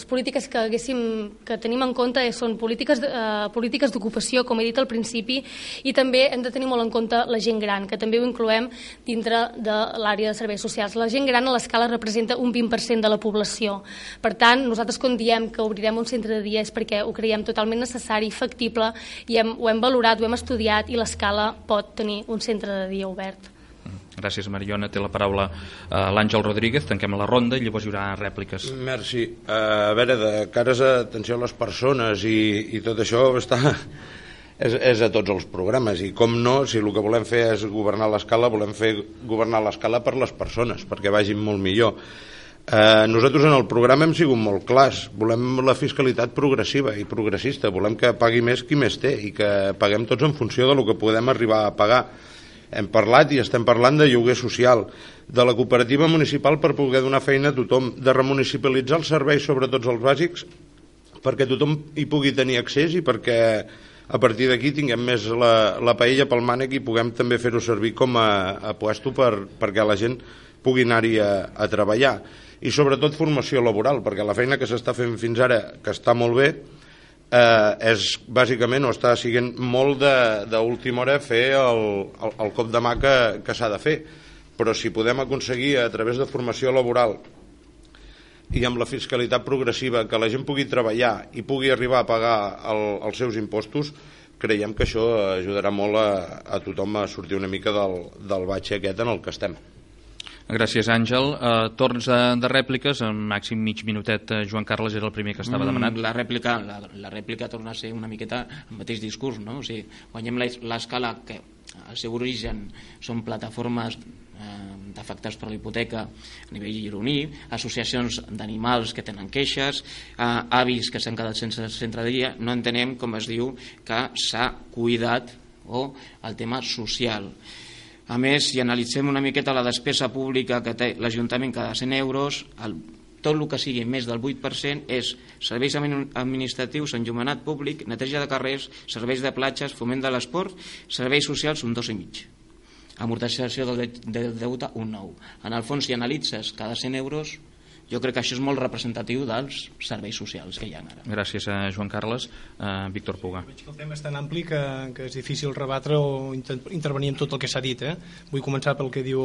polítiques que tenim en compte són polítiques d'ocupació, com he dit al principi, i també hem de tenir molt en compte la gent gran, que també ho incloem dintre de l'àrea de serveis socials. La gent gran a l'Escala representa un 20% de la població. Per tant, nosaltres quan diem que obrirem un centre de dia és perquè ho creiem totalment necessari, factible, i ho hem valorat, ho hem estudiat, i l'Escala pot tenir un centre de dia obert. Gràcies, Mariona. Té la paraula l'Àngel Rodríguez. Tanquem la ronda i llavors hi haurà rèpliques. Merci. A veure, de cares a atenció a les persones i tot això és a tots els programes, i com no, si el que volem fer és governar l'Escala, volem fer governar l'Escala per les persones, perquè vagin molt millor. Nosaltres en el programa hem sigut molt clars, volem la fiscalitat progressiva i progressista, volem que pagui més qui més té i que paguem tots en funció del que podem arribar a pagar. Hem parlat i estem parlant de lloguer social, de la cooperativa municipal per poder donar feina a tothom, de remunicipalitzar els serveis, sobretot els bàsics, perquè tothom hi pugui tenir accés i perquè a partir d'aquí tinguem més la paella pel mànec i puguem també fer-ho servir com a puesto perquè la gent pugui anar-hi a treballar. I sobretot formació laboral, perquè la feina que s'està fent fins ara, que està molt bé, és bàsicament, o està siguent molt d'última hora fer el cop de mà que s'ha de fer. Però si podem aconseguir a través de formació laboral i amb la fiscalitat progressiva que la gent pugui treballar i pugui arribar a pagar els seus impostos, creiem que això ajudarà molt a tothom a sortir una mica del batxe aquest en el que estem. Gràcies, Àngel. Torns de rèpliques, en màxim mig minutet. Joan Carles era el primer que estava demanat. La rèplica torna a ser una miqueta el mateix discurs, no? O sigui, guanyem l'escala que al seu origen són plataformes d'afectats per la hipoteca a nivell gironí, associacions d'animals que tenen queixes, avis que s'han quedat sense centre de dia. No entenem, com es diu, que s'ha cuidat el tema social. A més, si analitzem una miqueta la despesa pública que té l'Ajuntament cada 100 euros, tot el que sigui més del 8% és serveis administratius, enllumenat públic, neteja de carrers, serveis de platges, foment de l'esport, serveis socials, un 2,5. Amortització del deute, un 9. En el fons, si analitzes cada 100 euros, jo crec que això és molt representatiu dels serveis socials que hi ha ara. Gràcies, Joan Carles. Víctor Puga. Veig que el tema és tan ampli que és difícil rebatre o intervenir en tot el que s'ha dit. Vull començar pel que diu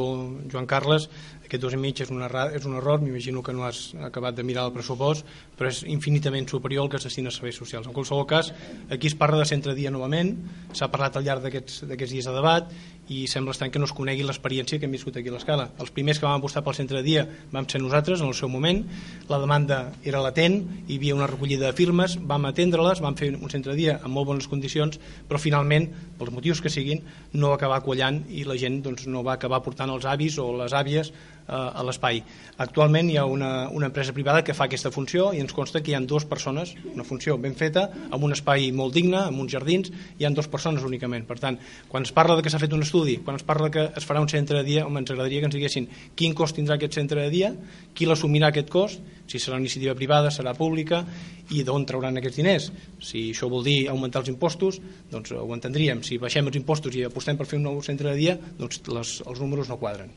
Joan Carles. Aquest 2,5 és un error, m'imagino que no has acabat de mirar el pressupost, però és infinitament superior al que es destina a serveis socials. En qualsevol cas, aquí es parla de centre de dia novament, s'ha parlat al llarg d'aquests dies de debat i sembla estrany que no es conegui l'experiència que hem viscut aquí a l'Escala. Els primers que vam apostar pel centre de dia vam ser nosaltres en el seu moment, la demanda era latent, hi havia una recollida de firmes, vam atendre-les, vam fer un centre de dia en molt bones condicions, però finalment, pels motius que siguin, no va acabar quallant i la gent no va acabar portant els avis o les àvies a l'espai. Actualment hi ha una empresa privada que fa aquesta funció i ens consta que hi ha 2 persones, una funció ben feta, amb un espai molt digne, amb uns jardins, hi ha 2 persones únicament. Per tant, quan es parla de que s'ha fet un estudi, quan es parla que es farà un centre de dia, ens agradaria que ens diguessin quin cost tindrà aquest centre de dia, qui l'assumirà aquest cost, si serà una iniciativa privada, serà pública, i d'on trauran aquests diners. Si això vol dir augmentar els impostos, doncs ho entendríem. Si baixem els impostos i apostem per fer un nou centre de dia, doncs els números no quadren.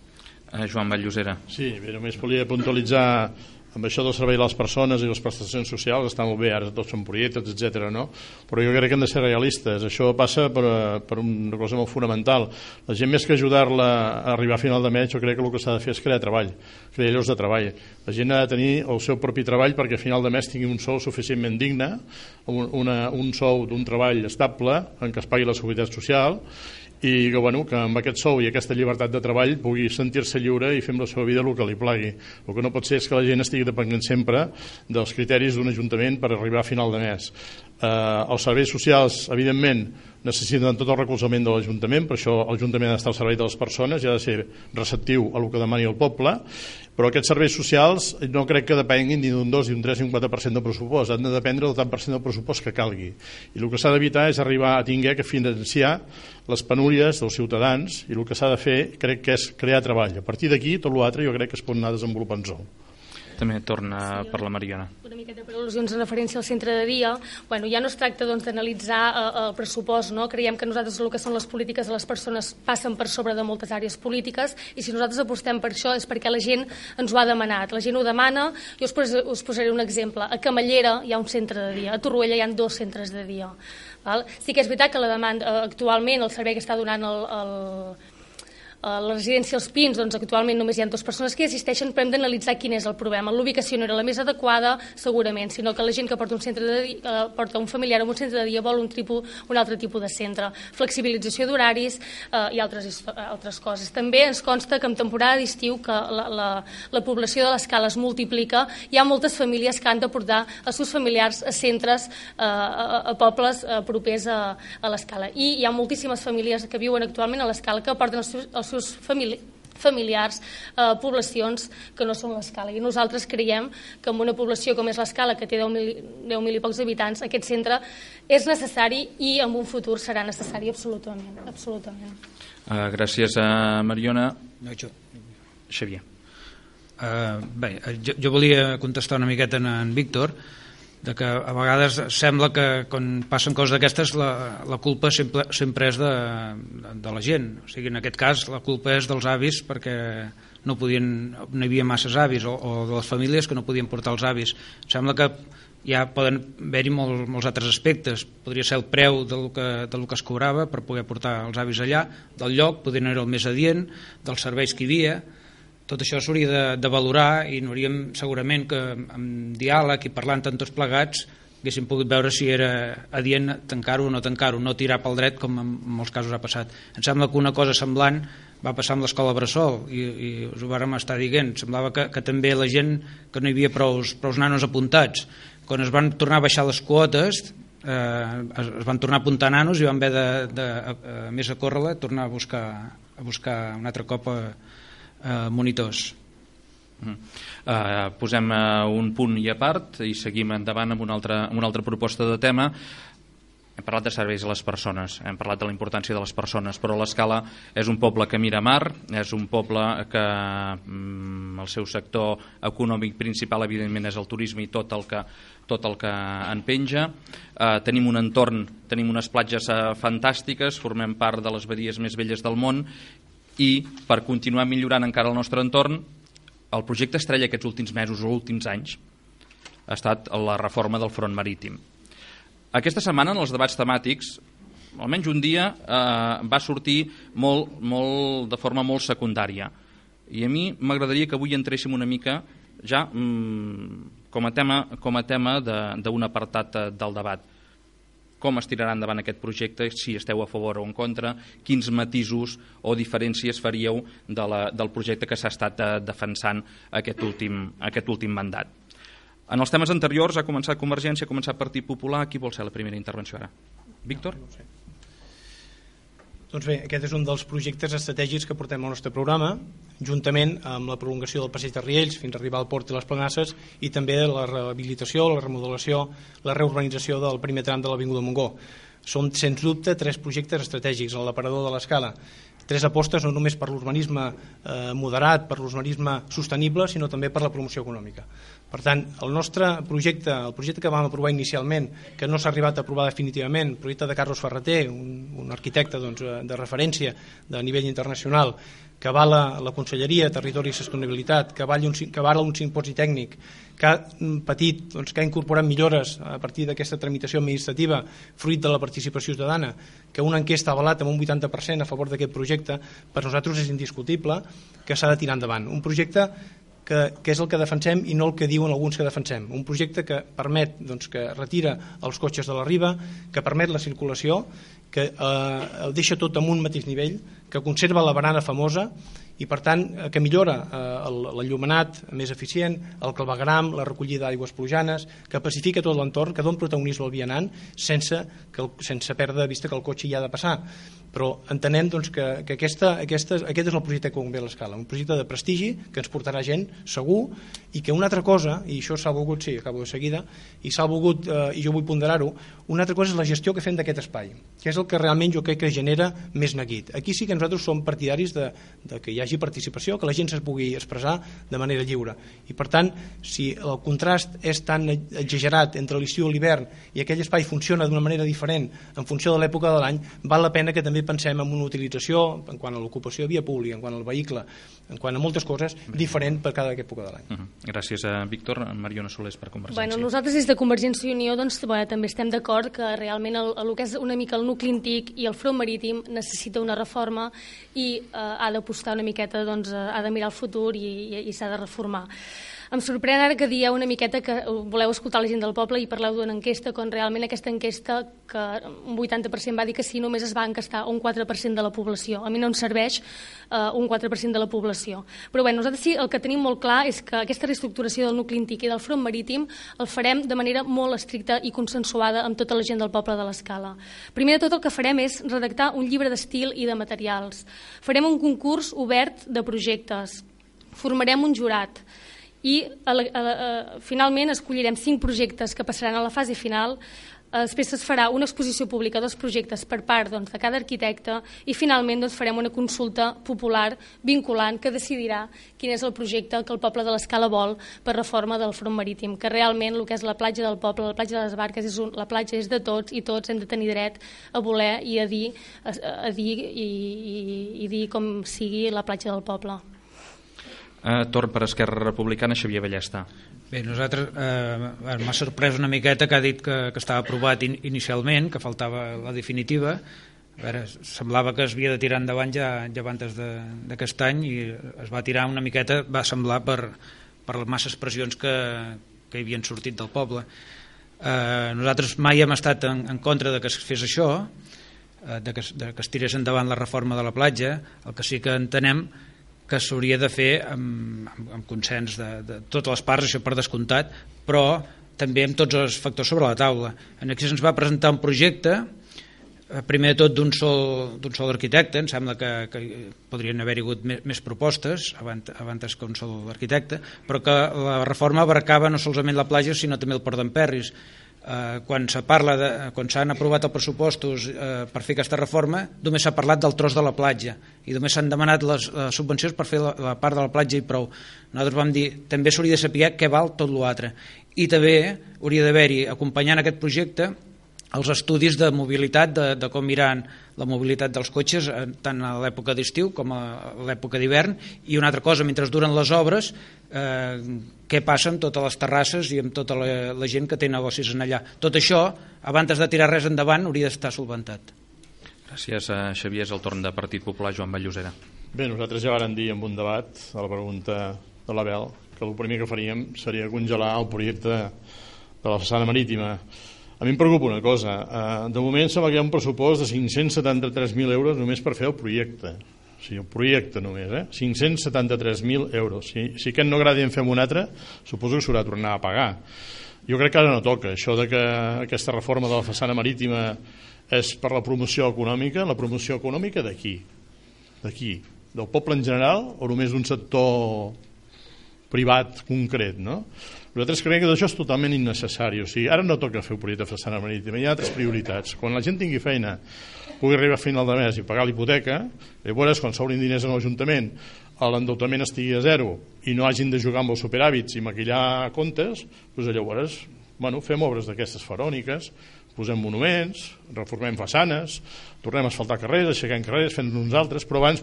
Joan Valllosera. Sí, bé, només volia puntualitzar amb això del servei a les persones i les prestacions socials. Està molt bé, ara tots són projectes, etc. no? Però jo crec que hem de ser realistes. Això passa per una cosa molt fonamental. La gent, més que ajudar-la a arribar a final de mes, jo crec que el que s'ha de fer és crear treball, crear llocs de treball. La gent ha de tenir el seu propi treball perquè a final de mes tingui un sou suficientment digne, un sou d'un treball estable en què es pagui la seguretat social i que amb aquest sou i aquesta llibertat de treball pugui sentir-se lliure i fer amb la seva vida el que li plagui. El que no pot ser és que la gent estigui dependent sempre dels criteris d'un ajuntament per arribar a final de mes. Els serveis socials, evidentment, necessiten tot el recolzament de l'Ajuntament, per això l'Ajuntament ha d'estar al servei de les persones i ha de ser receptiu a el que demani el poble, però aquests serveis socials no crec que depenguin ni d'un 2, ni d'un 3, ni un 4% del pressupost, han de dependre del tant per cent del pressupost que calgui. I el que s'ha d'evitar és arribar a tinguer que financiar les penúries dels ciutadans i el que s'ha de fer crec que és crear treball. A partir d'aquí, tot l'altre jo crec que es pot anar desenvolupant sol. També torna per la Mariona. Una miqueta per al·lusions en referència al centre de dia. Ja no es tracta d'analitzar el pressupost, no? Creiem que nosaltres el que són les polítiques de les persones passen per sobre de moltes àrees polítiques i si nosaltres apostem per això és perquè la gent ens ho ha demanat. La gent ho demana. Jo us posaré un exemple. A Camallera hi ha un centre de dia, a Torroella hi ha 2 centres de dia. Sí que és veritat que la demanda actualment, el servei que està donant a la residència Els Pins, doncs actualment només hi ha 2 persones que hi assisteixen, però hem d'analitzar quin és el problema. L'ubicació no era la més adequada, segurament, sinó que la gent que porta un familiar en un centre de dia vol un altre tipus de centre. Flexibilització d'horaris i altres coses. També ens consta que en temporada d'estiu que la població de l'Escala es multiplica, hi ha moltes famílies que han de portar els seus familiars a centres, a pobles propers a l'Escala. I hi ha moltíssimes famílies que viuen actualment a l'Escala que porten els seus familiars, poblacions que no són l'Escala. I nosaltres creiem que en una població com és l'Escala, que té 10.000 i pocs habitants, aquest centre és necessari i en un futur serà necessari absolutament. Gràcies a Mariona. Xavier. Bé, jo volia contestar una miqueta en Víctor, de que a vegades sembla que quan passen coses d'aquestes la culpa sempre és de la gent. O sigui, en aquest cas la culpa és dels avis perquè no hi havia masses avis, o de les famílies que no podien portar els avis. Sembla que ja poden haver-hi molts altres aspectes. Podria ser el preu del que es cobrava per poder portar els avis allà, del lloc, poder no era el més adient, dels serveis que hi havia. Tot això s'hauria de valorar i hauríem segurament que amb diàleg i parlant amb tots plegats haguéssim pogut veure si era adient tancar-ho o no tancar-ho, no tirar pel dret com en molts casos ha passat. Em sembla que una cosa semblant va passar amb l'escola Bressol i us ho vàrem estar dient. Semblava que també la gent, que no hi havia prous nanos apuntats. Quan es van tornar a baixar les quotes es van tornar a apuntar nanos i van haver a més a córrer-la tornar a buscar un altre cop monitors. Posem un punt i a part i seguim endavant amb una altra proposta de tema. Hem parlat de serveis a les persones, hem parlat de la importància de les persones, però l'Escala és un poble que mira mar, és un poble que el seu sector econòmic principal evidentment és el turisme i tot el que en penja. Tenim un entorn, tenim unes platges fantàstiques, formem part de les badies més belles del món i per continuar millorant encara el nostre entorn, el projecte estrella aquests últims mesos o últims anys ha estat la reforma del front marítim. Aquesta setmana en els debats temàtics, almenys un dia, va sortir de forma molt secundària. I a mi m'agradaria que avui entréssim una mica ja com a tema d'un apartat del debat. Com es tirarà endavant aquest projecte, si esteu a favor o en contra, quins matisos o diferències faríeu del projecte que s'ha estat defensant aquest últim mandat. En els temes anteriors ha començat Convergència, ha començat Partit Popular. Qui vol ser la primera intervenció ara? Víctor? Doncs bé, aquest és un dels projectes estratègics que portem al nostre programa, juntament amb la prolongació del passeig de Riells fins a arribar al port i les Planasses, i també la rehabilitació, la remodelació, la reurbanització del primer tram de l'Avinguda Montgó. Són, sens dubte, 3 projectes estratègics en l'aparador de l'Escala. 3 apostes no només per l'urbanisme moderat, per l'urbanisme sostenible, sinó també per la promoció econòmica. Per tant, el nostre projecte, el projecte que vam aprovar inicialment, que no s'ha arribat a aprovar definitivament, el projecte de Carlos Ferreter, un arquitecte de referència de nivell internacional, que avala la Conselleria de Territori i Sostenibilitat, que avala un simposi tècnic, que ha patit, que ha incorporat millores a partir d'aquesta tramitació administrativa fruit de la participació ciutadana, que una enquesta ha avalat amb un 80% a favor d'aquest projecte, per nosaltres és indiscutible que s'ha de tirar endavant. Un projecte que és el que defensem i no el que diuen alguns que defensem. Un projecte que permet que retira els cotxes de la riba, que permet la circulació, que el deixa tot en un mateix nivell, que conserva la barana famosa i per tant que millora l'enllumenat més eficient, el clavegueram, la recollida d'aigües plujanes, que pacifica tot l'entorn, que dona protagonisme al vianant sense perdre de vista que el cotxe hi ha de passar. Però entenem que aquest és el projecte que convé a l'Escala, un projecte de prestigi que ens portarà gent segur i que una altra cosa, i això s'ha volgut, sí, acabo de seguida, i s'ha volgut, i jo vull ponderar-ho, una altra cosa és la gestió que fem d'aquest espai, que és el que realment jo crec que genera més neguit. Aquí sí que nosaltres som partidaris de que hi hagi participació, que la gent es pugui expressar de manera lliure. I per tant, si el contrast és tan exagerat entre l'estiu i l'hivern i aquell espai funciona d'una manera diferent en funció de l'època de l'any, val la pena que també pensem en una utilització en quant a l'ocupació de via pública, en quant al vehicle, en quant a moltes coses, diferent per cada època de l'any. Gràcies a Víctor. Mariona Solés per Convergència. Nosaltres des de Convergència i Unió també estem d'acord que realment el que és una mica el nucli antic i el front marítim necessita una reforma i ha d'apostar una miqueta, ha de mirar el futur i s'ha de reformar. Em sorprèn ara que dieu una miqueta que voleu escoltar la gent del poble i parleu d'una enquesta, quan realment aquesta enquesta, que un 80% va dir que sí, només es va encastar un 4% de la població. A mi no em serveix un 4% de la població. Però bé, nosaltres sí, el que tenim molt clar és que aquesta reestructuració del nucli antic i del front marítim el farem de manera molt estricta i consensuada amb tota la gent del poble de l'Escala. Primer de tot el que farem és redactar un llibre d'estil i de materials. Farem un concurs obert de projectes. Formarem un jurat. I finalment escollirem 5 projectes que passaran a la fase final. Després es farà una exposició pública dels projectes per part de cada arquitecte i finalment farem una consulta popular vinculant que decidirà quin és el projecte que el poble de l'Escala vol per reforma del front marítim, que realment el que és la platja del poble, la platja de les Barques, la platja és de tots i tots hem de tenir dret a voler i a dir com sigui la platja del poble. Torn per Esquerra Republicana, Xavier Ballesta. Bé, nosaltres m'ha sorprès una miqueta que ha dit que estava aprovat inicialment, que faltava la definitiva. A veure, semblava que es havia de tirar endavant ja abans d'aquest any i es va tirar una miqueta, va semblar per les masses pressions que hi havien sortit del poble. Nosaltres mai hem estat en contra de que es fes això, de que es tirés endavant la reforma de la platja. El que sí que entenem que s'hauria de fer amb consens de totes les parts, això per descomptat, però també amb tots els factors sobre la taula. Aquí se'ns va presentar un projecte, primer de tot d'un sol arquitecte, em sembla que podrien haver-hi hagut més propostes abans que un sol arquitecte, però que la reforma abarcava no solament la platja sinó també el port d'Emperris. Quan s'han aprovat els pressupostos per fer aquesta reforma només s'ha parlat del tros de la platja i només s'han demanat les subvencions per fer la part de la platja i prou. Nosaltres vam dir també s'hauria de saber què val tot l'altre i també hauria d'haver-hi acompanyant aquest projecte els estudis de mobilitat, de com miran la mobilitat dels cotxes tant a l'època d'estiu com a l'època d'hivern i una altra cosa, mentre duren les obres què passa amb totes les terrasses i amb tota la gent que té negocis en allà. Tot això, abans de tirar res endavant, hauria d'estar solventat. Gràcies, Xavier. És el torn de Partit Popular, Joan Vallllosera. Bé, nosaltres ja vàrem dir en un debat a la pregunta de l'Abel que el primer que faríem seria congelar el projecte de la façana marítima. A mi em preocupa una cosa. De moment sembla que hi ha un pressupost de 573.000 euros només per fer el projecte. O sigui, el projecte només, 573.000 euros. Si aquest no agrada i en fem un altre, suposo que s'haurà de tornar a pagar. Jo crec que ara no toca. Això de que aquesta reforma de la façana marítima és per la promoció econòmica. La promoció econòmica de qui? De qui? Del poble en general o només d'un sector privat concret, no? Nosaltres creiem que això és totalment innecessari. O sigui, ara no toca fer un projecte de façana marítima, hi ha altres prioritats. Quan la gent tingui feina, pugui arribar a final de mes i pagar l'hipoteca, llavors, quan s'obrin diners en l'Ajuntament, l'endeutament estigui a zero i no hagin de jugar amb els superàvits i maquillar comptes, doncs llavors fem obres d'aquestes faraòniques, posem monuments, reformem façanes, tornem a asfaltar carrers, aixequem carrers, fem uns altres, però abans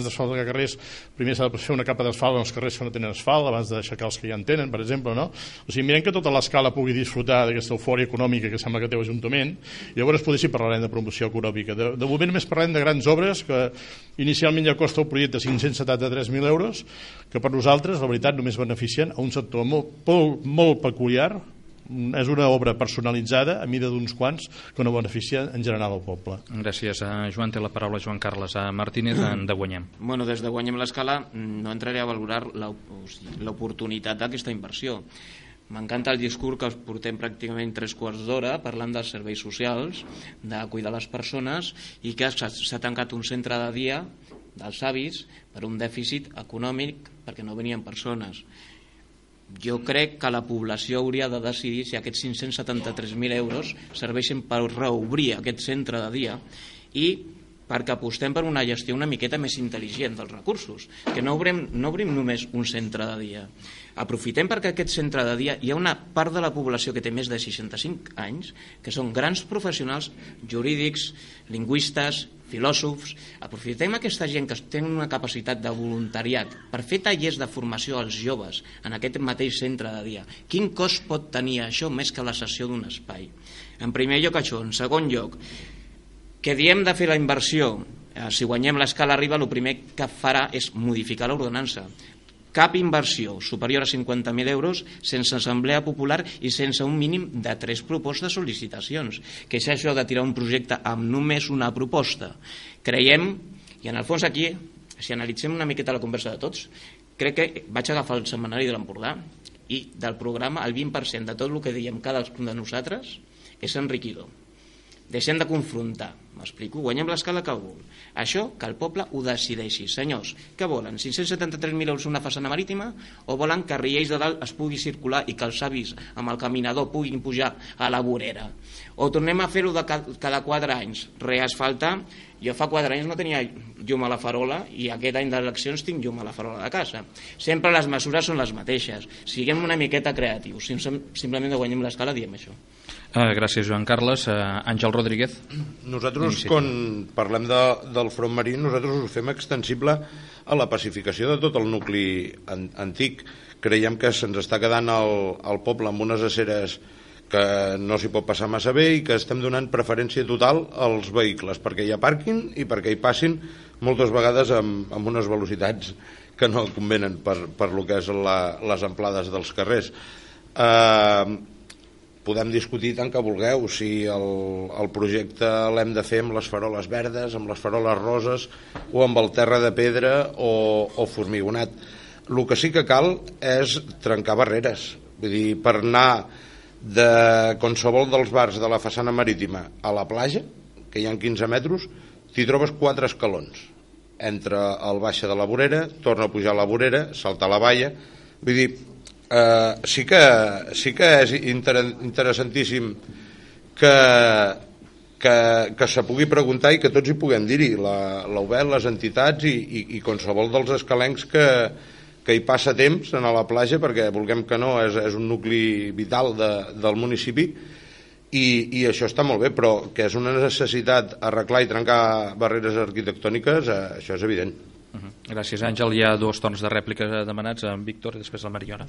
d'asfaltar carrers, primer s'ha de fer una capa d'asfalt en els carrers que no tenen asfalt, abans d'aixecar els que ja en tenen, per exemple, no? O sigui, mirem que tota l'Escala pugui disfrutar d'aquesta eufòria econòmica que sembla que té l'Ajuntament, i llavors potser sí parlarem de promoció econòmica. De moment només parlem de grans obres que inicialment ja costa un projecte de 573.000 euros, que per nosaltres, la veritat, només beneficien a un sector molt peculiar. És una obra personalitzada a mida d'uns quants que no beneficia en general el poble. Gràcies. Joan, té la paraula Joan Carles. Martínez, de Guanyem. Bueno, des de Guanyem l'Escala no entraré a valorar l'oportunitat d'aquesta inversió. M'encanta el discurs que portem pràcticament 3/4 d'hora parlant dels serveis socials, de cuidar les persones i que s'ha tancat un centre de dia dels avis per un dèficit econòmic perquè no venien persones. Jo crec que la població hauria de decidir si aquests 573.000 euros serveixen per reobrir aquest centre de dia i perquè apostem per una gestió una miqueta més intel·ligent dels recursos, que no obrim només un centre de dia. Aprofitem perquè aquest centre de dia hi ha una part de la població que té més de 65 anys, que són grans professionals jurídics, lingüistes, filòsofs. Aprofitem aquesta gent que té una capacitat de voluntariat per fer tallers de formació als joves en aquest mateix centre de dia. Quin cost pot tenir això més que la cessió d'un espai? En primer lloc això. En segon lloc, que diem de fer la inversió, si Guanyem l'Escala arriba, el primer que farà és modificar l'ordenança. cap inversió superior a 50.000 euros sense assemblea popular i sense un mínim de 3 propostes de sol·licitacions. Que és això de tirar un projecte amb només una proposta? Creiem, i en el fons aquí, si analitzem una miqueta la conversa de tots, crec que vaig agafar el setmanari de l'Empordà i del programa el 20% de tot el que diem cadascun de nosaltres és enriquidor. Deixem de confrontar, m'explico, guanyem l'escala que vol. Això que el poble ho decideixi. Senyors, què volen? 573.000 euros una façana marítima o volen que a Riells de Dalt es pugui circular i que els avis amb el caminador puguin pujar a la vorera? O tornem a fer-ho cada 4 anys, reasfaltar. Jo fa 4 anys no tenia llum a la farola i aquest any d'eleccions tinc llum a la farola de casa. Sempre les mesures són les mateixes. Siguem una miqueta creatius, simplement guanyem l'escala diem això. Gràcies, Joan Carles. Àngel Rodríguez. Nosaltres, quan parlem del front marí, nosaltres ho fem extensible a la pacificació de tot el nucli antic. Creiem que se'ns està quedant el poble amb unes aceres que no s'hi pot passar massa bé i que estem donant preferència total als vehicles, perquè hi ha pàrquing i perquè hi passin moltes vegades amb unes velocitats que no convenen per lo que és les amplades dels carrers. Podem discutir tant que vulgueu si el projecte l'hem de fer amb les faroles verdes, amb les faroles roses o amb el terra de pedra o formigonat. El que sí que cal és trencar barreres. Vull dir, per anar de qualsevol dels bars de la façana marítima a la platja, que hi ha 15 metres, t'hi trobes 4 escalons. Entra al baixa de la vorera, torna a pujar a la vorera, salta a la valla. Vull dir, sí que és interessantíssim que se pugui preguntar i que tots hi puguem dir-hi, l'UBEL, les entitats i qualsevol dels escalencs que hi passa temps a la platja, perquè vulguem que no, és un nucli vital del municipi i això està molt bé, però que és una necessitat arreglar i trencar barreres arquitectòniques, això és evident. Gràcies, Àngel. Hi ha 2 torns de rèplica demanats, en Víctor i després la Mariona.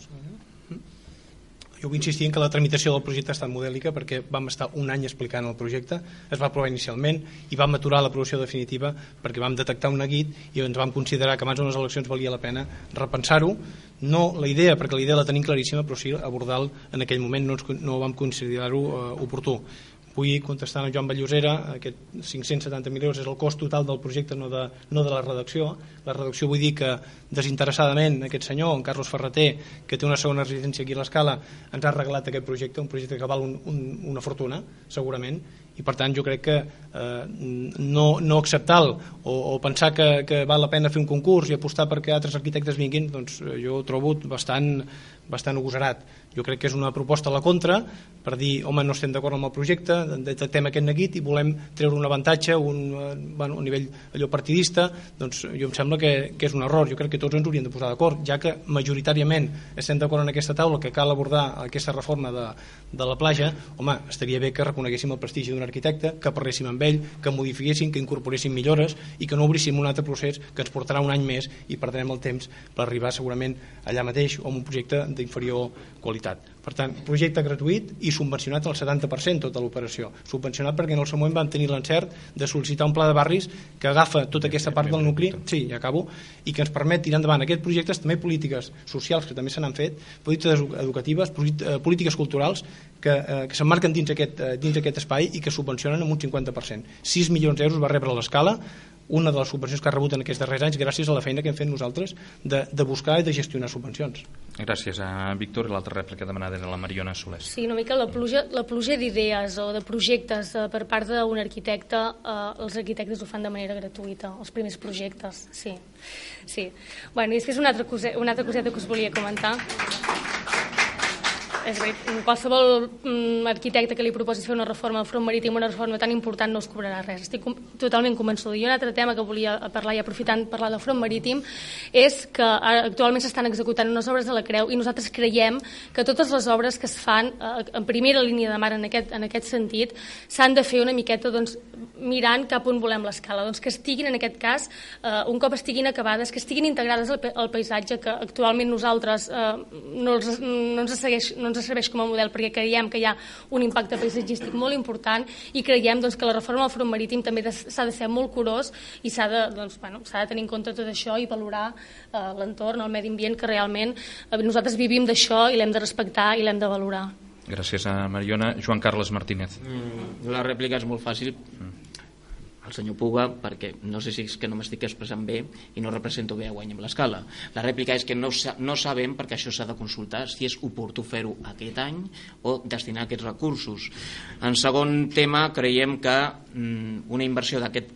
Jo vull insistir en que la tramitació del projecte ha estat modèlica perquè vam estar un any explicant el projecte, es va aprovar inicialment i vam aturar l'aprovació definitiva perquè vam detectar un neguit i ens vam considerar que abans d'unes eleccions valia la pena repensar-ho, no la idea, perquè la idea la tenim claríssima, però sí abordar-lo en aquell moment no vam considerar-ho oportú. Vull contestar a Joan Vallosera, aquest 570.000 euros és el cost total del projecte, no de la redacció. La redacció vull dir que desinteressadament aquest senyor, en Carlos Ferreter, que té una segona residència aquí a l'Escala, ens ha arreglat aquest projecte, un projecte que val una fortuna, segurament, i per tant jo crec que no acceptar-lo o pensar que val la pena fer un concurs i apostar perquè altres arquitectes vinguin, doncs jo ho trobo bastant agosarat. Jo crec que és una proposta a la contra per dir, home, no estem d'acord amb el projecte, detectem aquest neguit i volem treure un avantatge a nivell allò partidista, doncs jo em sembla que és un error. Jo crec que tots ens hauríem de posar d'acord, ja que majoritàriament estem d'acord en aquesta taula que cal abordar aquesta reforma de la platja. Home, estaria bé que reconeguéssim el prestigi d'un arquitecte, que parléssim amb ell, que modifiquéssim, que incorporéssim millores i que no obríssim un altre procés que ens portarà un any més i perdrem el temps per arribar segurament allà mateix o amb un projecte d'inferior qualitat. Per tant, projecte gratuït i subvencionat al 70% tota l'operació. Subvencionat perquè en el seu moment vam tenir l'encert de sol·licitar un pla de barris que agafa tota aquesta part del nucli, sí, ja acabo, i que ens permet tirar endavant aquests projectes, també polítiques socials que també se n'han fet, polítiques educatives, polítiques culturals que s'emmarquen dins aquest espai i que subvencionen amb un 50%. 6 milions d'euros va rebre l'Escala, una de les subvencions que ha rebut en aquests darrers anys gràcies a la feina que hem fet nosaltres de buscar i de gestionar subvencions. Gràcies a Víctor. L'altra rèplica demanada era la Mariona Solés. Sí, una mica la pluja d'idees o de projectes per part d'un arquitecte, els arquitectes ho fan de manera gratuïta, els primers projectes, sí. Bueno, i després una altra coseta que us volia comentar. És a dir, qualsevol arquitecte que li proposi fer una reforma del front marítim, una reforma tan important, no us cobrarà res. Estic totalment convençuda. I un altre tema que volia parlar, i aprofitant parlar del front marítim, és que actualment s'estan executant unes obres de la Creu i nosaltres creiem que totes les obres que es fan en primera línia de mar en aquest sentit s'han de fer una miqueta mirant cap on volem l'Escala. Que estiguin, en aquest cas, un cop estiguin acabades, que estiguin integrades al paisatge, que actualment nosaltres no ens ens serveix com a model perquè creiem que hi ha un impacte paisatgístic molt important i creiem que la reforma del front marítim també s'ha de ser molt curós i s'ha de tenir en compte tot això i valorar l'entorn, el medi ambient, que realment nosaltres vivim d'això i l'hem de respectar i l'hem de valorar. Gràcies a Mariona. Joan Carles Martínez. La rèplica és molt fàcil al senyor Puga, perquè no sé si és que no m'estic expressant bé i no represento bé a Guanyem l'Escala. La rèplica és que no sabem, perquè això s'ha de consultar, si és oportú fer-ho aquest any o destinar aquests recursos. En segon tema, creiem que una inversió d'aquest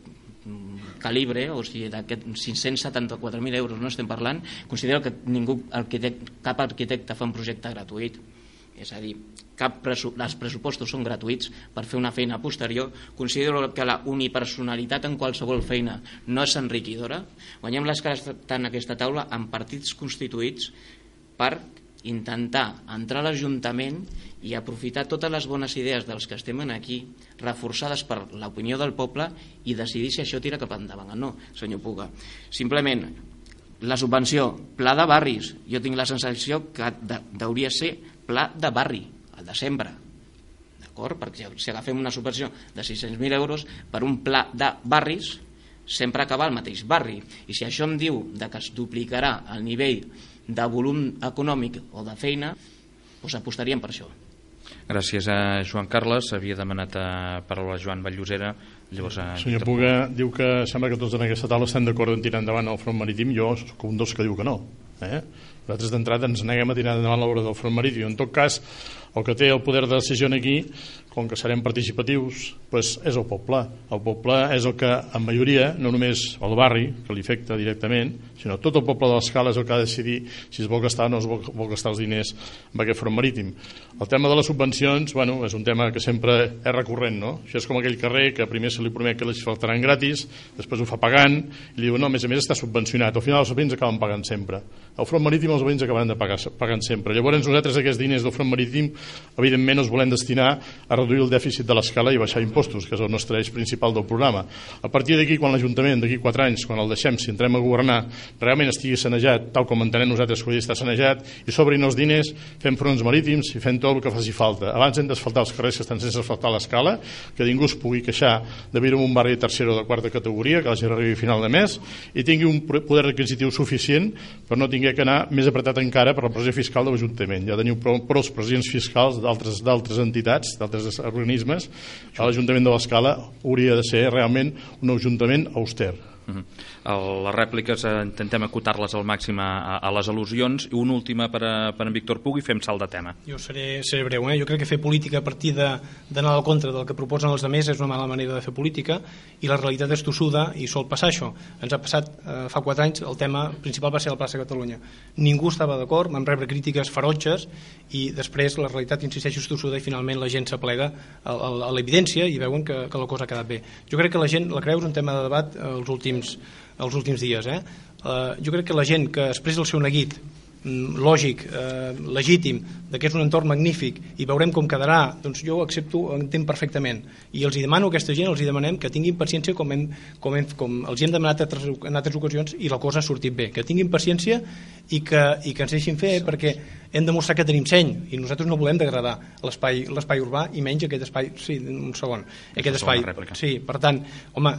calibre, o sigui, d'aquests 574.000 euros no estem parlant, considero que cap arquitecte fa un projecte gratuït. És a dir, els pressupostos són gratuïts per fer una feina posterior. Considero que la unipersonalitat en qualsevol feina no és enriquidora. Guanyem l'Escala està en aquesta taula amb partits constituïts per intentar entrar a l'Ajuntament i aprofitar totes les bones idees dels que estem aquí, reforçades per l'opinió del poble, i decidir si això tira cap endavant o no, senyor Puga. Simplement, la subvenció, pla de barris, jo tinc la sensació que hauria de ser pla de barri, el de sempre, d'acord? Perquè si agafem una subvenció de 600.000 euros per un pla de barris, sempre acaba al mateix barri, i si això em diu que es duplicarà el nivell de volum econòmic o de feina, doncs apostaríem per això. Gràcies a Joan Carles. Havia demanat paraula a Joan Vall-llosera. Senyor Puga diu que sembla que tots en aquesta taula estem d'acord en tirar endavant el front marítim. Jo soc un dels que diu que no. Nosaltres d'entrada ens neguem a tirar endavant l'obra del front marítim. En tot cas, el que té el poder de decisió aquí, com que serem participatius, doncs és el poble. El poble és el que, en majoria, no només el barri, que li afecta directament, sinó tot el poble de l'Escala és el que ha de decidir si es vol gastar o no es vol gastar els diners en aquest front marítim. El tema de les subvencions, bueno, és un tema que sempre és recurrent, no? Això és com aquell carrer que primer se li promet que l'asfaltaran gratis, després ho fa pagant, i li diu, no, a més està subvencionat. Al final els veïns acaben pagant sempre. El front marítim els veïns acaben pagant sempre. Llavors nosaltres aquests diners del front marítim evidentment els volem destinar a reduir el dèficit de l'Escala i baixar impostos, que és el nostre eix principal del programa. A partir d'aquí, quan l'Ajuntament, d'aquí 4 anys, quan el deixem, si entrem a governar, realment estigui sanejat, tal com entenem nosaltres que hauria d'estar sanejat, i sobrin els diners, fem fronts marítims i fem tot el que faci falta. Abans hem d'asfaltar els carrers que estan sense asfaltar a l'Escala, que ningú es pugui queixar de viure en un barri de tercera o de quarta categoria, que la gent arribi a final de mes, i tingui un poder requisitiu suficient per no tinguer que anar més apretat encara per la pressió fiscal de l'Ajuntament. Ja teniu prou els presidents fiscals d'altres entitats, d'altres organismes. L'Ajuntament de l'Escala hauria de ser realment un ajuntament auster. Les rèpliques intentem acotar-les al màxim a les al·lusions, i una última per en Víctor Puga i fem salt de tema. Jo seré breu. Jo crec que fer política a partir d'anar al contra del que proposen els altres és una mala manera de fer política, i la realitat és tossuda i sol passar això. Ens ha passat fa 4 anys, el tema principal va ser la plaça Catalunya. Ningú estava d'acord, vam rebre crítiques ferotges, i després la realitat, insisteixo, és tossuda, i finalment la gent s'aplega a l'evidència i veuen que la cosa ha quedat bé. Jo crec que la gent la creu, és un tema de debat els últims dies. Jo crec que la gent que expressa el seu neguit lògic, legítim, que és un entorn magnífic, i veurem com quedarà, doncs jo ho entenc perfectament, i els demano a aquesta gent, els demanem que tinguin paciència com els hem demanat en altres ocasions, i la cosa ha sortit bé, que tinguin paciència i que ens deixin fer, perquè hem de mostrar que tenim seny, i nosaltres no volem degradar l'espai urbà, i menys aquest espai. Sí, un segon. Aquest espai. Sí, per tant, home,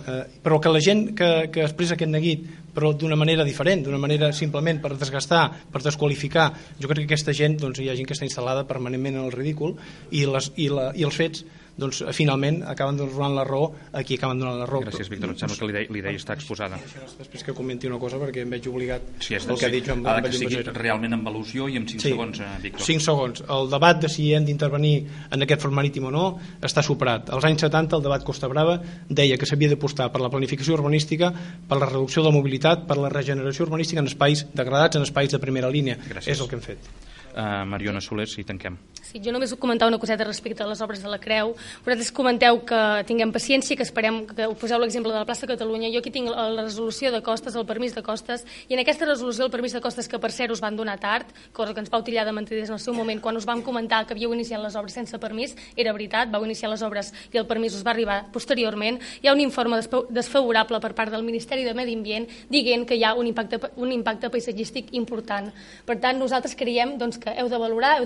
però que la gent que expressa aquest neguit, però d'una manera diferent, d'una manera simplement per desgastar, per desqualificar, jo crec que aquesta gent, doncs hi ha gent que està instal·lada permanentment en el ridícul, i els fets, doncs finalment acaben donant la raó a qui acaben donant la raó. Gràcies, Víctor. Em sembla que l'idea està exposada. Després que comenti una cosa, perquè em veig obligat el que ha dit Joan Vall. Que sigui realment amb al·lusió i amb 5 segons, Víctor. 5 segons. El debat de si hem d'intervenir en aquest front marítim o no està superat. Als anys 70 el debat Costa Brava deia que s'havia d'apostar per la planificació urbanística, per la reducció de la mobilitat, per la regeneració urbanística en espais degradats, en espais de primera línia. Gràcies. És el que hem fet. Mariona Soler, si tanquem. Sí, jo només vull comentar una coseta respecte a les obres de la Creu. Vosaltres comenteu que tinguem paciència, que esperem que poseu l'exemple de la plaça Catalunya. Jo aquí tinc la resolució de costes, el permís de costes, i en aquesta resolució el permís de costes, que per cert us van donar tard, cosa que ens vau tillar de mentiders en el seu moment, quan us vam comentar que havíeu iniciat les obres sense permís, era veritat, vau iniciar les obres i el permís us va arribar posteriorment. Hi ha un informe desfavorable per part del Ministeri de Medi Ambient dient que hi ha un impacte paisatgístic important. Per tant, nosaltres creiem que heu de valorar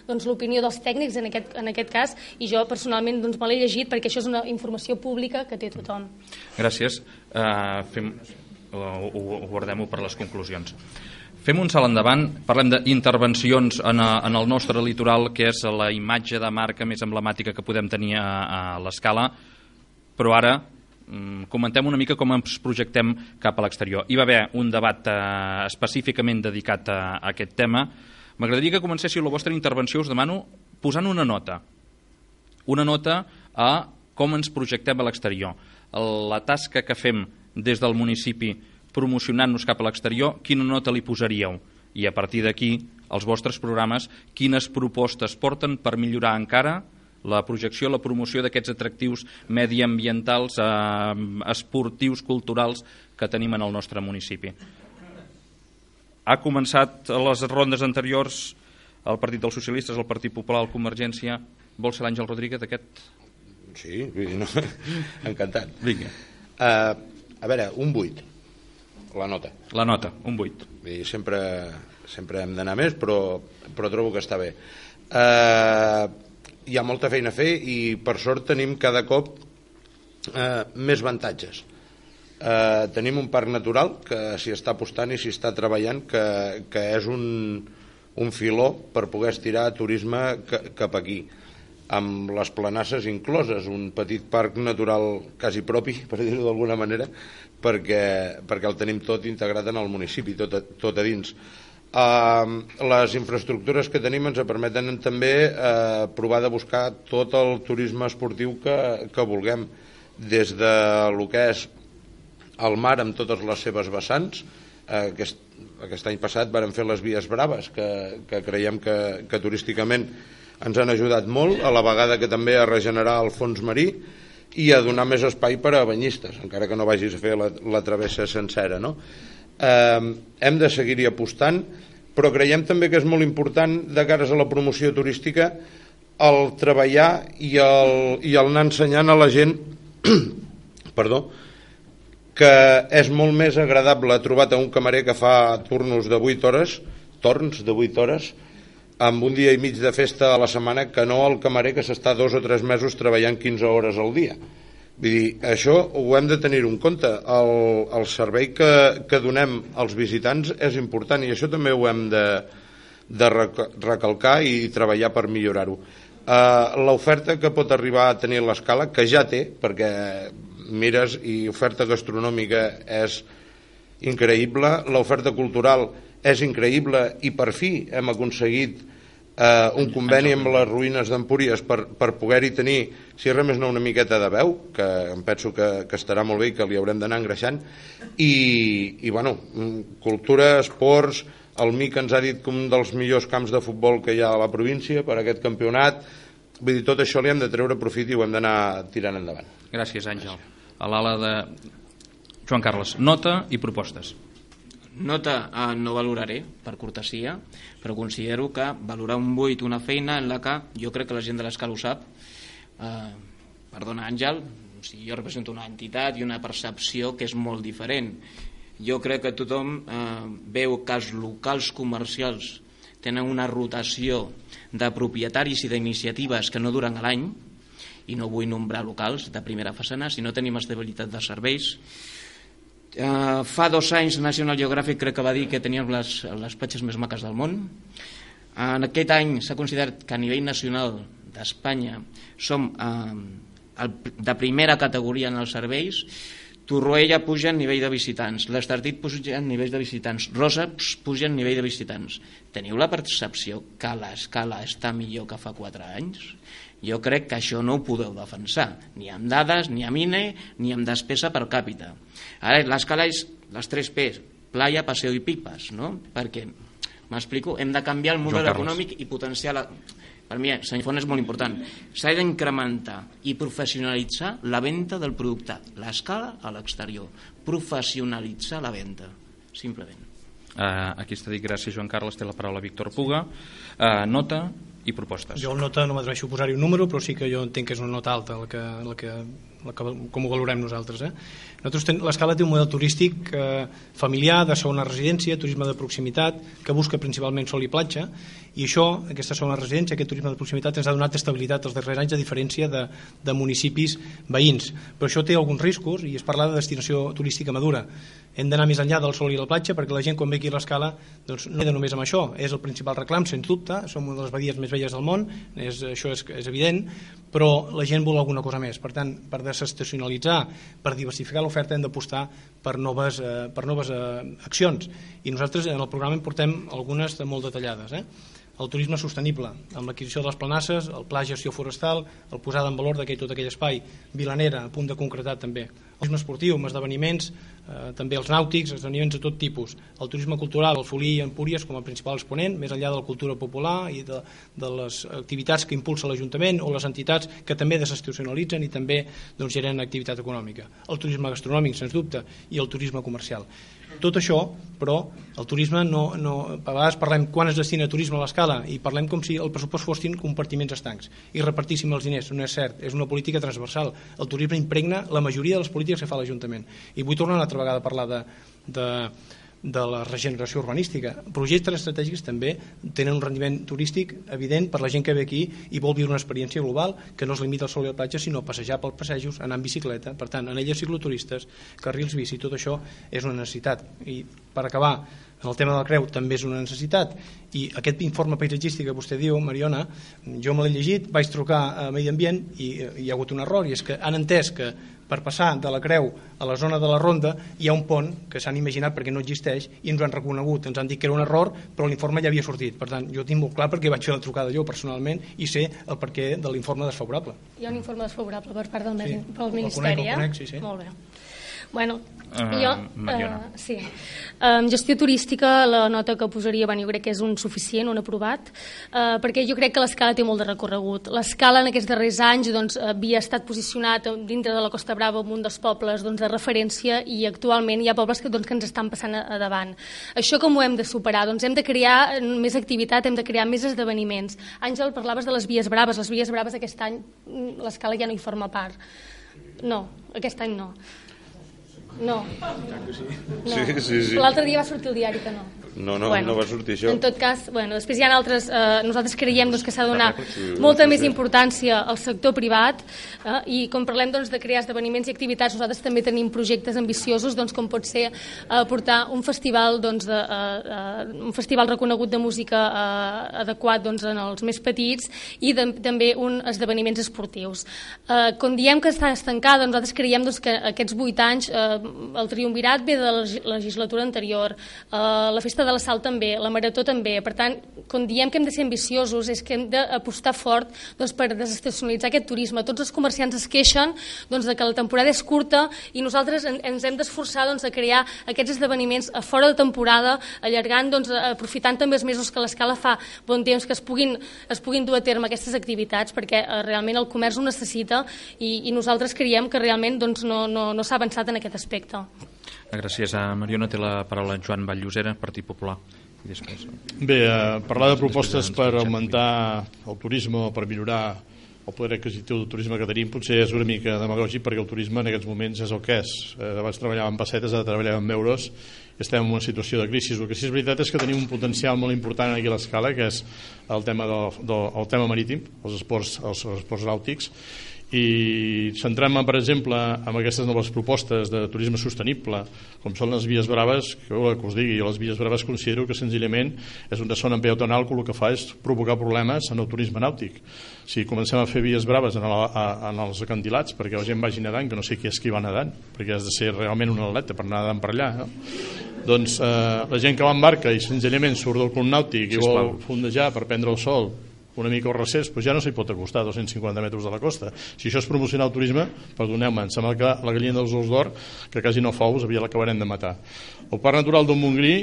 doncs, l'opinió dels tècnics en aquest cas, i jo personalment doncs, me l'he llegit perquè això és una informació pública que té tothom. Gràcies. Guardem-ho per les conclusions. Fem un salt endavant, parlem d'intervencions en el nostre litoral, que és la imatge de marca més emblemàtica que podem tenir a l'Escala, però ara comentem una mica com ens projectem cap a l'exterior. Hi va haver un debat específicament dedicat a aquest tema. M'agradaria que comencéssiu la vostra intervenció, us demano, posant una nota a com ens projectem a l'exterior. La tasca que fem des del municipi promocionant-nos cap a l'exterior, quina nota li posaríeu? I a partir d'aquí, els vostres programes, quines propostes porten per millorar encara la projecció, la promoció d'aquests atractius mediambientals, esportius, culturals que tenim en el nostre municipi. Ha començat a les rondes anteriors el Partit dels Socialistes, el Partit Popular, la Convergència. Vol ser l'Àngel Rodríguez aquest? Sí, no, encantat. Vinga. A veure, un 8. La nota, un 8. Sempre hem d'anar més, però trobo que està bé. Hi ha molta feina a fer i per sort tenim cada cop més avantatges. Tenim un parc natural que s'hi està apostant i s'hi està treballant, que és un filó per poder estirar turisme cap aquí, amb les planasses incloses, un petit parc natural quasi propi, per dir-ho d'alguna manera, perquè el tenim tot integrat en el municipi, tot a dins. Les infraestructures que tenim ens permeten també provar de buscar tot el turisme esportiu que vulguem, des de lo que és el mar amb totes les seves vessants. Aquest any passat vàrem fer les vies braves, que creiem que turísticament ens han ajudat molt, a la vegada que també a regenerar el fons marí i a donar més espai per a banyistes, encara que no vagis a fer la travessa sencera, no? Hem de seguir-hi apostant, però creiem també que és molt important, de cares a la promoció turística, el treballar i el anar ensenyant a la gent que és molt més agradable trobar un camarer que fa torns de 8 hores, amb un dia i mig de festa a la setmana, que no el camarer que s'està 2 o 3 mesos treballant 15 hores al dia. Vull dir, això ho hem de tenir en compte. El servei que donem als visitants és important i això també ho hem de recalcar i treballar per millorar-ho. L'oferta que pot arribar a tenir l'Escala, que ja té, perquè mires i oferta gastronòmica és increïble, l'oferta cultural és increïble i per fi hem aconseguit un conveni amb les ruïnes d'Empúries per poder-hi tenir, si res més no, una miqueta de veu, que em penso que estarà molt bé i que li haurem d'anar engreixant, i bueno, cultura, esports, el MIC ens ha dit que un dels millors camps de futbol que hi ha a la província per aquest campionat. Vull dir, tot això li hem de treure profit i ho hem d'anar tirant endavant. Gràcies, Àngel. A l'ala de Joan Carles, nota i propostes. Nota no valoraré, per cortesia, però considero que valorar un 8 una feina en la que jo crec que la gent de l'Escala ho sap. Perdona, Àngel, jo represento una entitat i una percepció que és molt diferent. Jo crec que tothom veu que els locals comercials tenen una rotació de propietaris i d'iniciatives que no duren l'any, i no vull nombrar locals de primera façana, si no tenim estabilitat de serveis. Fa 2 anys National Geographic crec que va dir que teníem les platges més maques del món. En aquest any s'ha considerat que a nivell nacional d'Espanya som de primera categoria en els serveis. Torroella puja en nivell de visitants, l'Estartit puja en nivell de visitants, Rosa puja en nivell de visitants. Teniu la percepció que l'Escala està millor que fa 4 anys? Jo crec que això no ho podeu defensar, ni amb dades, ni amb INE, ni amb despesa per càpita. Ara, l'Escala és les 3 P's, playa, paseo i pipes, no? Perquè, m'explico, hem de canviar el model econòmic i potenciar la... Per mi, senyor Font, és molt important. S'ha d'incrementar i professionalitzar la venda del producte. L'Escala a l'exterior. Professionalitzar la venda, simplement. Aquí està dit, gràcies, Joan Carles. Té la paraula Víctor Puga. Nota i propostes. Jo el nota no m'atreveixo a posar-hi un número, però sí que jo entenc que és una nota alta la que com ho valorem nosaltres. L'Escala té un model turístic familiar, de segona residència, turisme de proximitat, que busca principalment sol i platja, i això, aquesta segona residència, aquest turisme de proximitat ens ha donat estabilitat els darrers anys, a diferència de municipis veïns. Però això té alguns riscos, i es parla de destinació turística madura. Hem d'anar més enllà del sol i la platja, perquè la gent quan ve aquí a l'Escala doncs, no queda només amb això, és el principal reclam, sens dubte, som una de les badies més velles del món, això és evident, però la gent vol alguna cosa més. Per tant, per desestacionalitzar, per diversificar l'oferta, hem d'apostar per noves accions, i nosaltres en el programa en portem algunes molt detallades. El turisme sostenible, amb l'adquisició de les planasses, el pla gestió forestal, el posada en valor tot aquell espai, Vilanera, a punt de concretar també. El turisme esportiu, amb esdeveniments, també els nàutics, esdeveniments de tot tipus. El turisme cultural, el Folí i Empúries com a principal exponent, més enllà de la cultura popular i de les activitats que impulsa l'Ajuntament o les entitats que també desestacionalitzen i també generen activitat econòmica. El turisme gastronòmic, sens dubte, i el turisme comercial. Tot això, però, el turisme a vegades parlem quan es destina turisme a l'Escala i parlem com si el pressupost fossin compartiments estancs i repartíssim els diners. No és cert, és una política transversal. El turisme impregna la majoria de les polítiques que fa l'Ajuntament. I vull tornar una altra vegada a parlar de la regeneració urbanística. Projectes estratègics també tenen un rendiment turístic evident per la gent que ve aquí i vol viure una experiència global que no es limita al sol i a la platja, sinó a passejar pels passejos, anar en bicicleta. Per tant, anelles cicloturistes, carrils bici, tot això és una necessitat. I per acabar, en el tema de la creu també és una necessitat, i aquest informe paisatgístic que vostè diu, Mariona, jo me l'he llegit, vaig trucar a Medi Ambient i hi ha hagut un error, i és que han entès que per passar de la Creu a la zona de la Ronda hi ha un pont que s'han imaginat perquè no existeix i ens ho han reconegut, ens han dit que era un error, però l'informe ja havia sortit. Per tant, jo tinc molt clar perquè vaig fer la trucada jo personalment i sé el perquè de l'informe desfavorable. Hi ha un informe desfavorable per part del Ministeri, el conec, sí. Molt bé. Bueno, sí. Gestió turística, la nota que posaria, jo crec que és un suficient, un aprovat, perquè jo crec que l'Escala té molt de recorregut. L'Escala en aquests darrers anys havia estat posicionat dintre de la Costa Brava en un dels pobles de referència, i actualment hi ha pobles que ens estan passant a davant. Això com ho hem de superar? Hem de crear més activitat, hem de crear més esdeveniments. Àngel, parlaves de les Vies Braves. Les Vies Braves aquest any l'Escala ja no hi forma part. No, aquest any no. No. Sí. L'altre dia va sortir el diari que no. No va sortir això. En tot cas, després hi ha altres... nosaltres creiem que s'ha de donar molta més importància al sector privat, i quan parlem de crear esdeveniments i activitats, nosaltres també tenim projectes ambiciosos, com pot ser portar un festival reconegut de música adequat en els més petits, i també esdeveniments esportius. Quan diem que està estancada, nosaltres creiem que aquests 8 anys el triumvirat ve de la legislatura anterior, la festa de la Sal també, la Marató també. Per tant, quan diem que hem de ser ambiciosos és que hem d'apostar fort per desestacionalitzar aquest turisme. Tots els comerciants es queixen de que la temporada és curta i nosaltres ens hem d'esforçar a crear aquests esdeveniments a fora de temporada, allargant, aprofitant també els mesos que l'Escala fa bon temps, que es puguin dur a terme aquestes activitats, perquè realment el comerç ho necessita, i nosaltres creiem que realment no s'ha avançat en aquest aspecte. Gràcies. Mariona, té la paraula Joan Vall-Llosera, Partit Popular. I després... Bé, parlar de propostes per augmentar el turisme o per millorar el poder adquisitiu del turisme que tenim potser és una mica demagògic, perquè el turisme en aquests moments és el que és. Abans treballàvem en pessetes, ara treballàvem en euros, i estem en una situació de crisi. El que sí és veritat és que tenim un potencial molt important aquí a l'Escala, que és el tema marítim, els esports nàutics, i centrem-me, per exemple, en aquestes noves propostes de turisme sostenible, com són les Vies Braves, que us digui, jo les Vies Braves considero que senzillament és una zona peatonal que el que fa és provocar problemes en el turisme nàutic. Si comencem a fer Vies Braves en els acantilats, perquè la gent vagi nedant, que no sé qui és qui va nedant, perquè has de ser realment un atleta per anar nedant per allà, no? Doncs la gent que va en barca i senzillament surt del club nàutic i vol fondejar per prendre el sol una mica al recés, doncs ja no s'hi pot acostar a 250 metres de la costa. Si això és promocionar el turisme, perdoneu-me, em sembla que la gallina dels ous d'or, que quasi no fa ous, l'acabarem de matar. El Parc Natural del Montgrí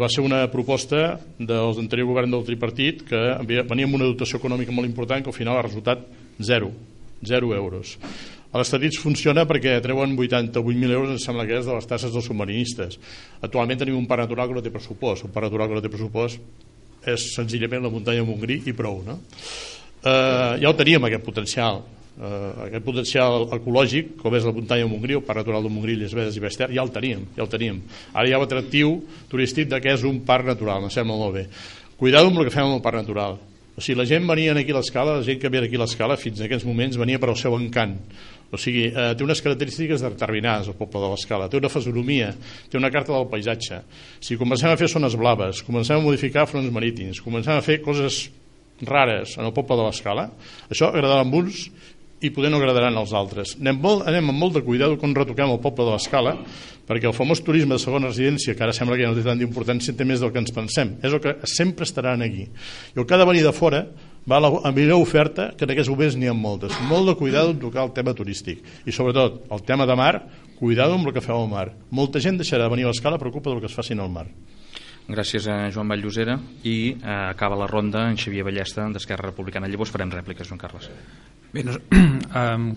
va ser una proposta dels anterior govern del tripartit que venia amb una dotació econòmica molt important que al final ha resultat 0 euros. A l'Estatits funciona perquè treuen 88.000 euros, em sembla que és, de les tasses dels submarinistes. Actualment tenim un parc natural que no té pressupost. Un parc natural que no té pressupost és senzillament la muntanya Montgrí i prou, no? Ja ho teníem, aquest potencial. aquest potencial ecològic, com és la muntanya de Montgrí, el Parc Natural de Montgrí, Illes Medes i Baix-Ter, ja el teníem. Ara hi ha l'atractiu turístic de que és un parc natural, em sembla molt bé. Cuidado amb el que fem amb el parc natural. O sigui, la gent venia aquí a l'Escala, la gent que ve aquí a l'Escala fins en aquests moments venia per al seu encant. O sigui, té unes característiques determinades el poble de l'Escala, té una fisonomia, té una carta del paisatge. Si comencem a fer zones blaves, comencem a modificar fronts marítims, comencem a fer coses rares en el poble de l'Escala, això agradarà a uns i poder no agradaran als altres. Anem amb molt de cuidado quan retoquem el poble de l'Escala, perquè el famós turisme de segona residència, que ara sembla que ja no té tant d'importància, té més del que ens pensem. És el que sempre estaran aquí. I el que ha de venir de fora va a la millor oferta, que en aquests moments n'hi ha moltes. Molt de cuidado en tocar el tema turístic. I sobretot, el tema de mar, cuidado amb el que feu al mar. Molta gent deixarà de venir a l'Escala per culpa del que es facin al mar. Gràcies a Joan Vall-Llosera i acaba la ronda en Xavier Ballesta d'Esquerra Republicana. Llavors farem rèpliques, Joan Carles. Bé,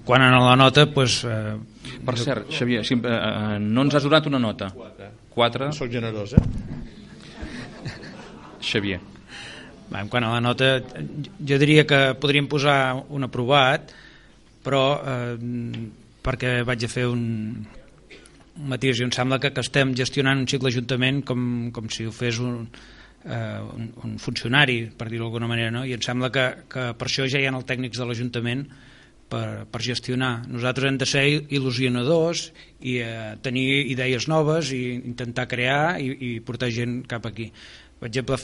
quan a la nota doncs, per cert, Xavier, no ens has donat una nota. 4. Soc generós, Xavier. Quan a la nota jo diria que podríem posar un aprovat, però perquè vaig a fer un matís, i em sembla que estem gestionant un cicle ajuntament com si ho fes un funcionari, per dir-ho d'alguna manera, no? I em sembla que per això ja hi ha els tècnics de l'Ajuntament per gestionar. Nosaltres hem de ser il·lusionadors i tenir idees noves i intentar crear i portar gent cap aquí. Per exemple,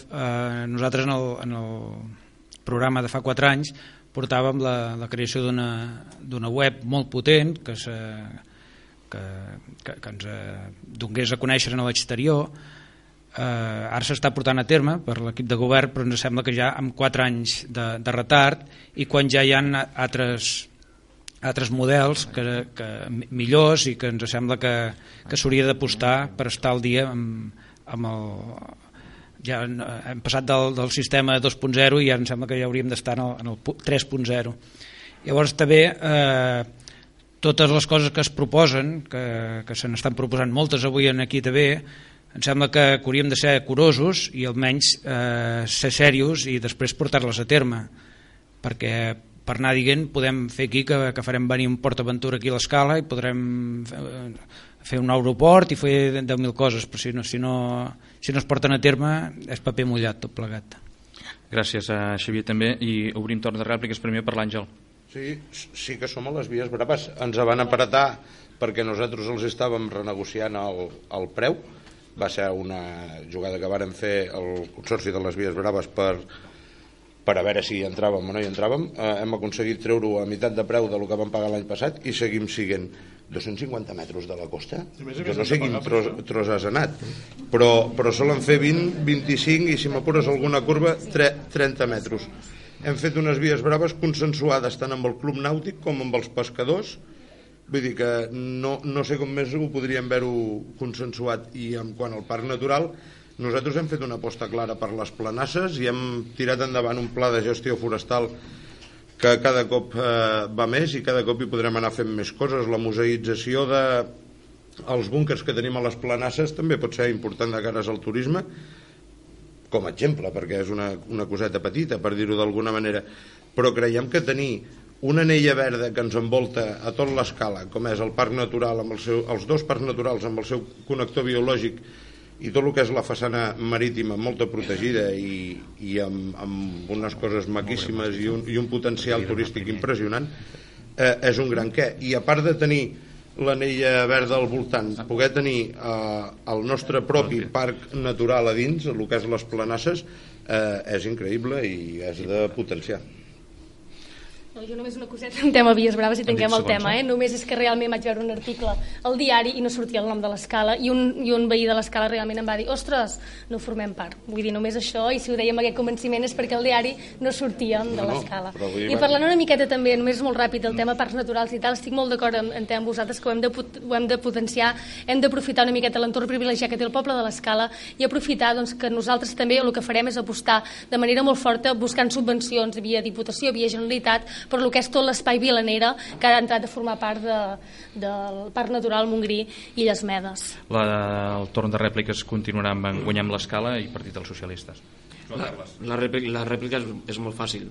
nosaltres en el programa de fa 4 anys portàvem la creació d'una web molt potent que ens donés a conèixer a l'exterior. Ara s'està portant a terme per l'equip de govern, però ens sembla que ja amb 4 anys de retard, i quan ja hi ha altres models millors, i que ens sembla que s'hauria d'apostar per estar al dia amb el... Ja hem passat del sistema 2.0 i ara em sembla que ja hauríem d'estar en el 3.0. Llavors també totes les coses que es proposen, que se n'estan proposant moltes avui aquí també, em sembla que hauríem de ser curosos i almenys ser serios i després portar-les a terme, perquè per anar dient podem fer aquí que farem venir un PortAventura aquí a l'Escala i podrem fer un aeroport i fer 10.000 coses, però si no es porten a terme és paper mullat tot plegat. Gràcies a Xavier també, i obrim torn de rèpliques primer per l'Àngel. Sí que som a les vies braves, ens van apretar perquè nosaltres els estàvem renegociant el preu. Va ser una jugada que vàrem fer el Consorci de les Vies Braves per a veure si entràvem o no hi entràvem. Hem aconseguit treure-ho a meitat de preu del que vam pagar l'any passat i seguim siguent 250 metres de la costa. Jo no sé quin tros has anat, però solen fer 20, 25 i si m'apures alguna curva 30 metres. Hem fet unes vies braves consensuades tant amb el Club Nàutic com amb els pescadors. Vull dir que no sé com més ho podríem haver-ho consensuat. I en quant al parc natural, nosaltres hem fet una aposta clara per les planasses i hem tirat endavant un pla de gestió forestal que cada cop va més i cada cop hi podrem anar fent més coses. La museïtzació dels búnkers que tenim a les planasses també pot ser important de cares al turisme, com a exemple, perquè és una coseta petita, per dir-ho d'alguna manera, però creiem que tenir una anella verda que ens envolta a tot l'Escala, com és el parc natural, els 2 parcs naturals amb el seu connector biològic i tot el que és la façana marítima molta protegida i amb unes coses maquíssimes i un potencial turístic impressionant, és un gran què. I a part de tenir l'anella verda al voltant, poder tenir el nostre propi parc natural a dins, el que és les planasses, és increïble i és de potenciar. Jo només una coseta en tema Vies Braves i tanquem el tema. Només és que realment vaig veure un article al diari i no sortia el nom de l'Escala i un veí de l'Escala realment em va dir ostres, no formem part. Vull dir, només això, i si ho dèiem amb aquest convenciment és perquè al diari no sortíem de l'Escala. I parlant una miqueta també, només molt ràpid, del tema parcs naturals i tal, estic molt d'acord amb vosaltres que ho hem de potenciar, hem d'aprofitar una miqueta l'entorn privilegiat que té el poble de l'Escala i aprofitar que nosaltres també el que farem és apostar de manera molt forta buscant subvencions via Diputació, via Generalitat, per lo que és tot l'espai Vilanera que ha entrat a formar part del Parc Natural Montgrí i Illes Medes. El torn de rèpliques continuarà amb Guanyem l'Escala i Partit dels Socialistes. La rèplica és molt fàcil.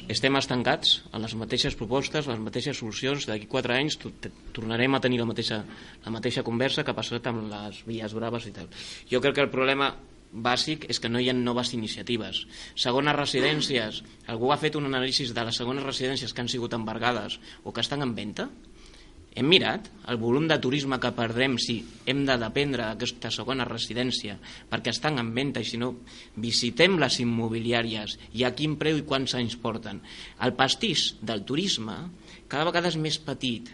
Estem estancats en les mateixes propostes, les mateixes solucions. D'aquí 4 anys tornarem a tenir la mateixa conversa que ha passat amb les vies braves i tal. Jo crec que el problema bàsic és que no hi ha noves iniciatives. Segones residències, algú ha fet un anàlisi de les segones residències que han sigut embargades o que estan en venda? Hem mirat el volum de turisme que perdrem si hem de dependre d'aquesta segona residència perquè estan en venda, i si no visitem les immobiliàries i a quin preu i quants anys porten. El pastís del turisme cada vegada és més petit.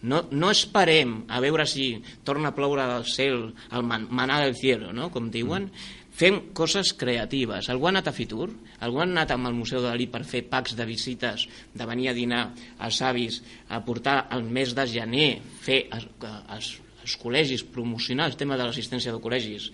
No esperem a veure si torna a ploure del cel el maná del cielo, no? Com diuen. Fem coses creatives. Algú ha anat a Fitur? Algú ha anat amb el Museu de Dalí per fer packs de visites, de venir a dinar als avis, a portar el mes de gener, fer als col·legis, promocionar el tema de l'assistència de col·legis?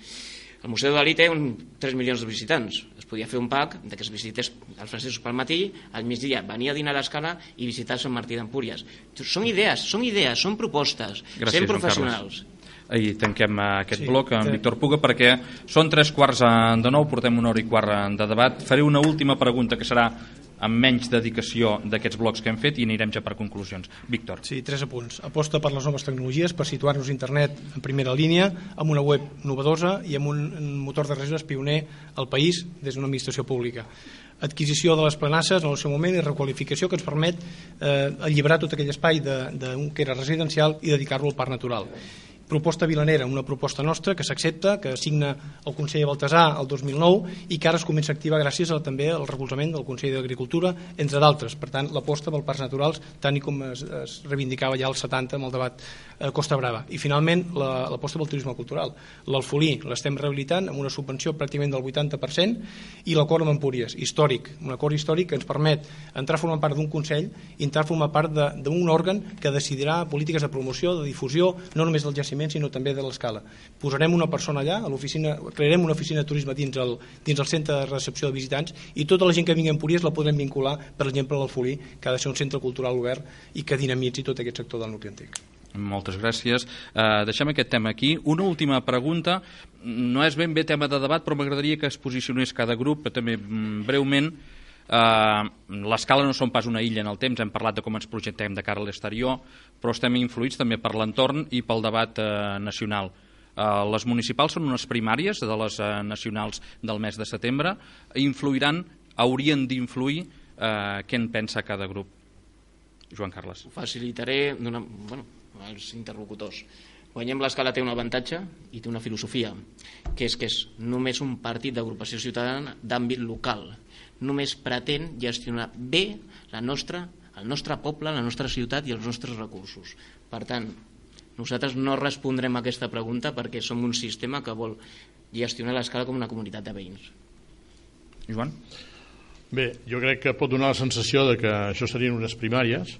El Museu de Dalí té 3 milions de visitants. Es podia fer un pack que es visités els francesos pel matí, al migdia venir a dinar a l'Escala i visitar Sant Martí d'Empúries. Són idees, són propostes. Gràcies, sent professionals. I tanquem aquest bloc amb Víctor Puga perquè són 8:45, portem 1h15 de debat. Faré una última pregunta que serà amb menys dedicació d'aquests blocs que hem fet i anirem ja per conclusions. Víctor. Sí, 3 apunts. Aposta per les noves tecnologies per situar-nos internet en primera línia, amb una web novedosa i amb un motor de reserves pioner al país des d'una administració pública. Adquisició de les planasses en el seu moment i requalificació que ens permet alliberar tot aquell espai que era residencial i dedicar-lo al parc natural. Proposta Vilanera, una proposta nostra que s'accepta, que signa el conseller Baltasar el 2009 i que ara es comença a activar gràcies també al recolzament del Consell d'Agricultura, entre d'altres. Per tant, l'aposta pel parcs naturals, tant com es reivindicava ja als 70 amb el debat Costa Brava. I finalment, l'aposta pel turisme cultural. L'Alfolí l'estem rehabilitant amb una subvenció pràcticament del 80% i l'acord amb Empúries, històric, un acord històric que ens permet entrar a formar part d'un Consell i entrar a formar part d'un òrgan que decidirà polítiques de promoció, de difusió, no només del jaciment, sinó també de l'Escala. Posarem una persona allà, a l'oficina, crearem una oficina de turisme dins el centre de recepció de visitants i tota la gent que vingui a Empúries la podrem vincular, per exemple, a l'Alfolí, que ha de ser un centre cultural obert i que dinamitzi tot aquest sector del nucli antic. Moltes gràcies. Deixem aquest tema aquí. Una última pregunta. No és ben bé tema de debat, però m'agradaria que es posicionés cada grup, també breument. L'Escala no som pas una illa en el temps, hem parlat de com ens projectem de cara a l'exterior, però estem influïts també per l'entorn i pel debat nacional. Les municipals són unes primàries de les nacionals del mes de setembre, haurien d'influir què en pensa cada grup. Joan Carles. Ho facilitaré als interlocutors. Guanyem l'Escala té un avantatge i té una filosofia, que és només un partit d'agrupació ciutadana d'àmbit local. Només pretén gestionar bé el nostre poble, la nostra ciutat i els nostres recursos. Per tant, nosaltres no respondrem a aquesta pregunta perquè som un sistema que vol gestionar l'Escala com una comunitat de veïns. Joan? Bé, jo crec que pot donar la sensació de que això serien unes primàries,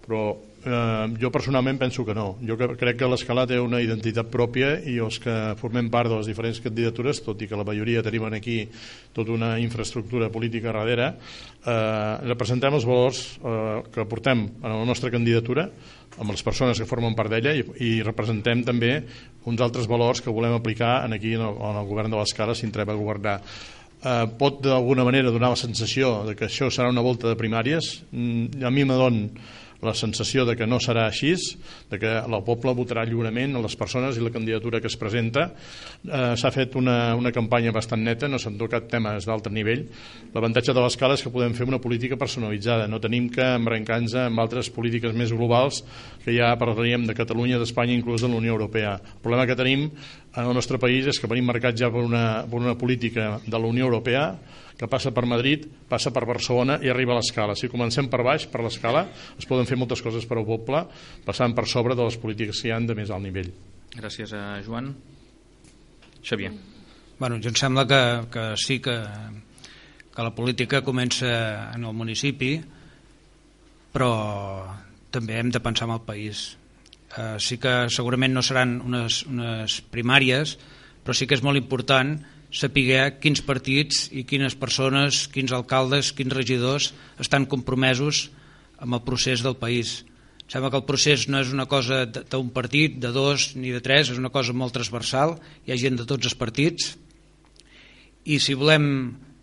però jo personalment penso que no. Jo crec que l'Escala té una identitat pròpia i els que formem part de les diferents candidatures, tot i que la majoria tenim aquí tota una infraestructura política darrere, representem els valors que portem en la nostra candidatura amb les persones que formen part d'ella i representem també uns altres valors que volem aplicar aquí en el govern de l'Escala si entrem a governar. Pot d'alguna manera donar la sensació de que això serà una volta de primàries. A mi me dona la sensació de que no serà així, de que el poble votarà lliurement a les persones i la candidatura que es presenta. S'ha fet una campanya bastant neta, no s'han tocat temes d'alt nivell. L'avantatge de l'Escala és que podem fer una política personalitzada, no tenim que embrancar-nos amb altres polítiques més globals que ja parlaríem de Catalunya, d'Espanya, inclús de la Unió Europea. El problema que tenim en el nostre país és que venim marcats ja per una política de la Unió Europea que passa per Madrid, passa per Barcelona i arriba a l'Escala. Si comencem per baix, per l'Escala, es poden fer moltes coses per al poble, passant per sobre de les polítiques que hi ha de més alt nivell. Gràcies, Joan. Xavier. Bueno, jo em sembla que sí que la política comença en el municipi, però també hem de pensar en el país. Sí que segurament no seran unes primàries, però sí que és molt important saber quins partits i quines persones, quins alcaldes, quins regidors estan compromesos amb el procés del país. Sembla que el procés no és una cosa d'un partit, de dos ni de tres, és una cosa molt transversal, hi ha gent de tots els partits i si volem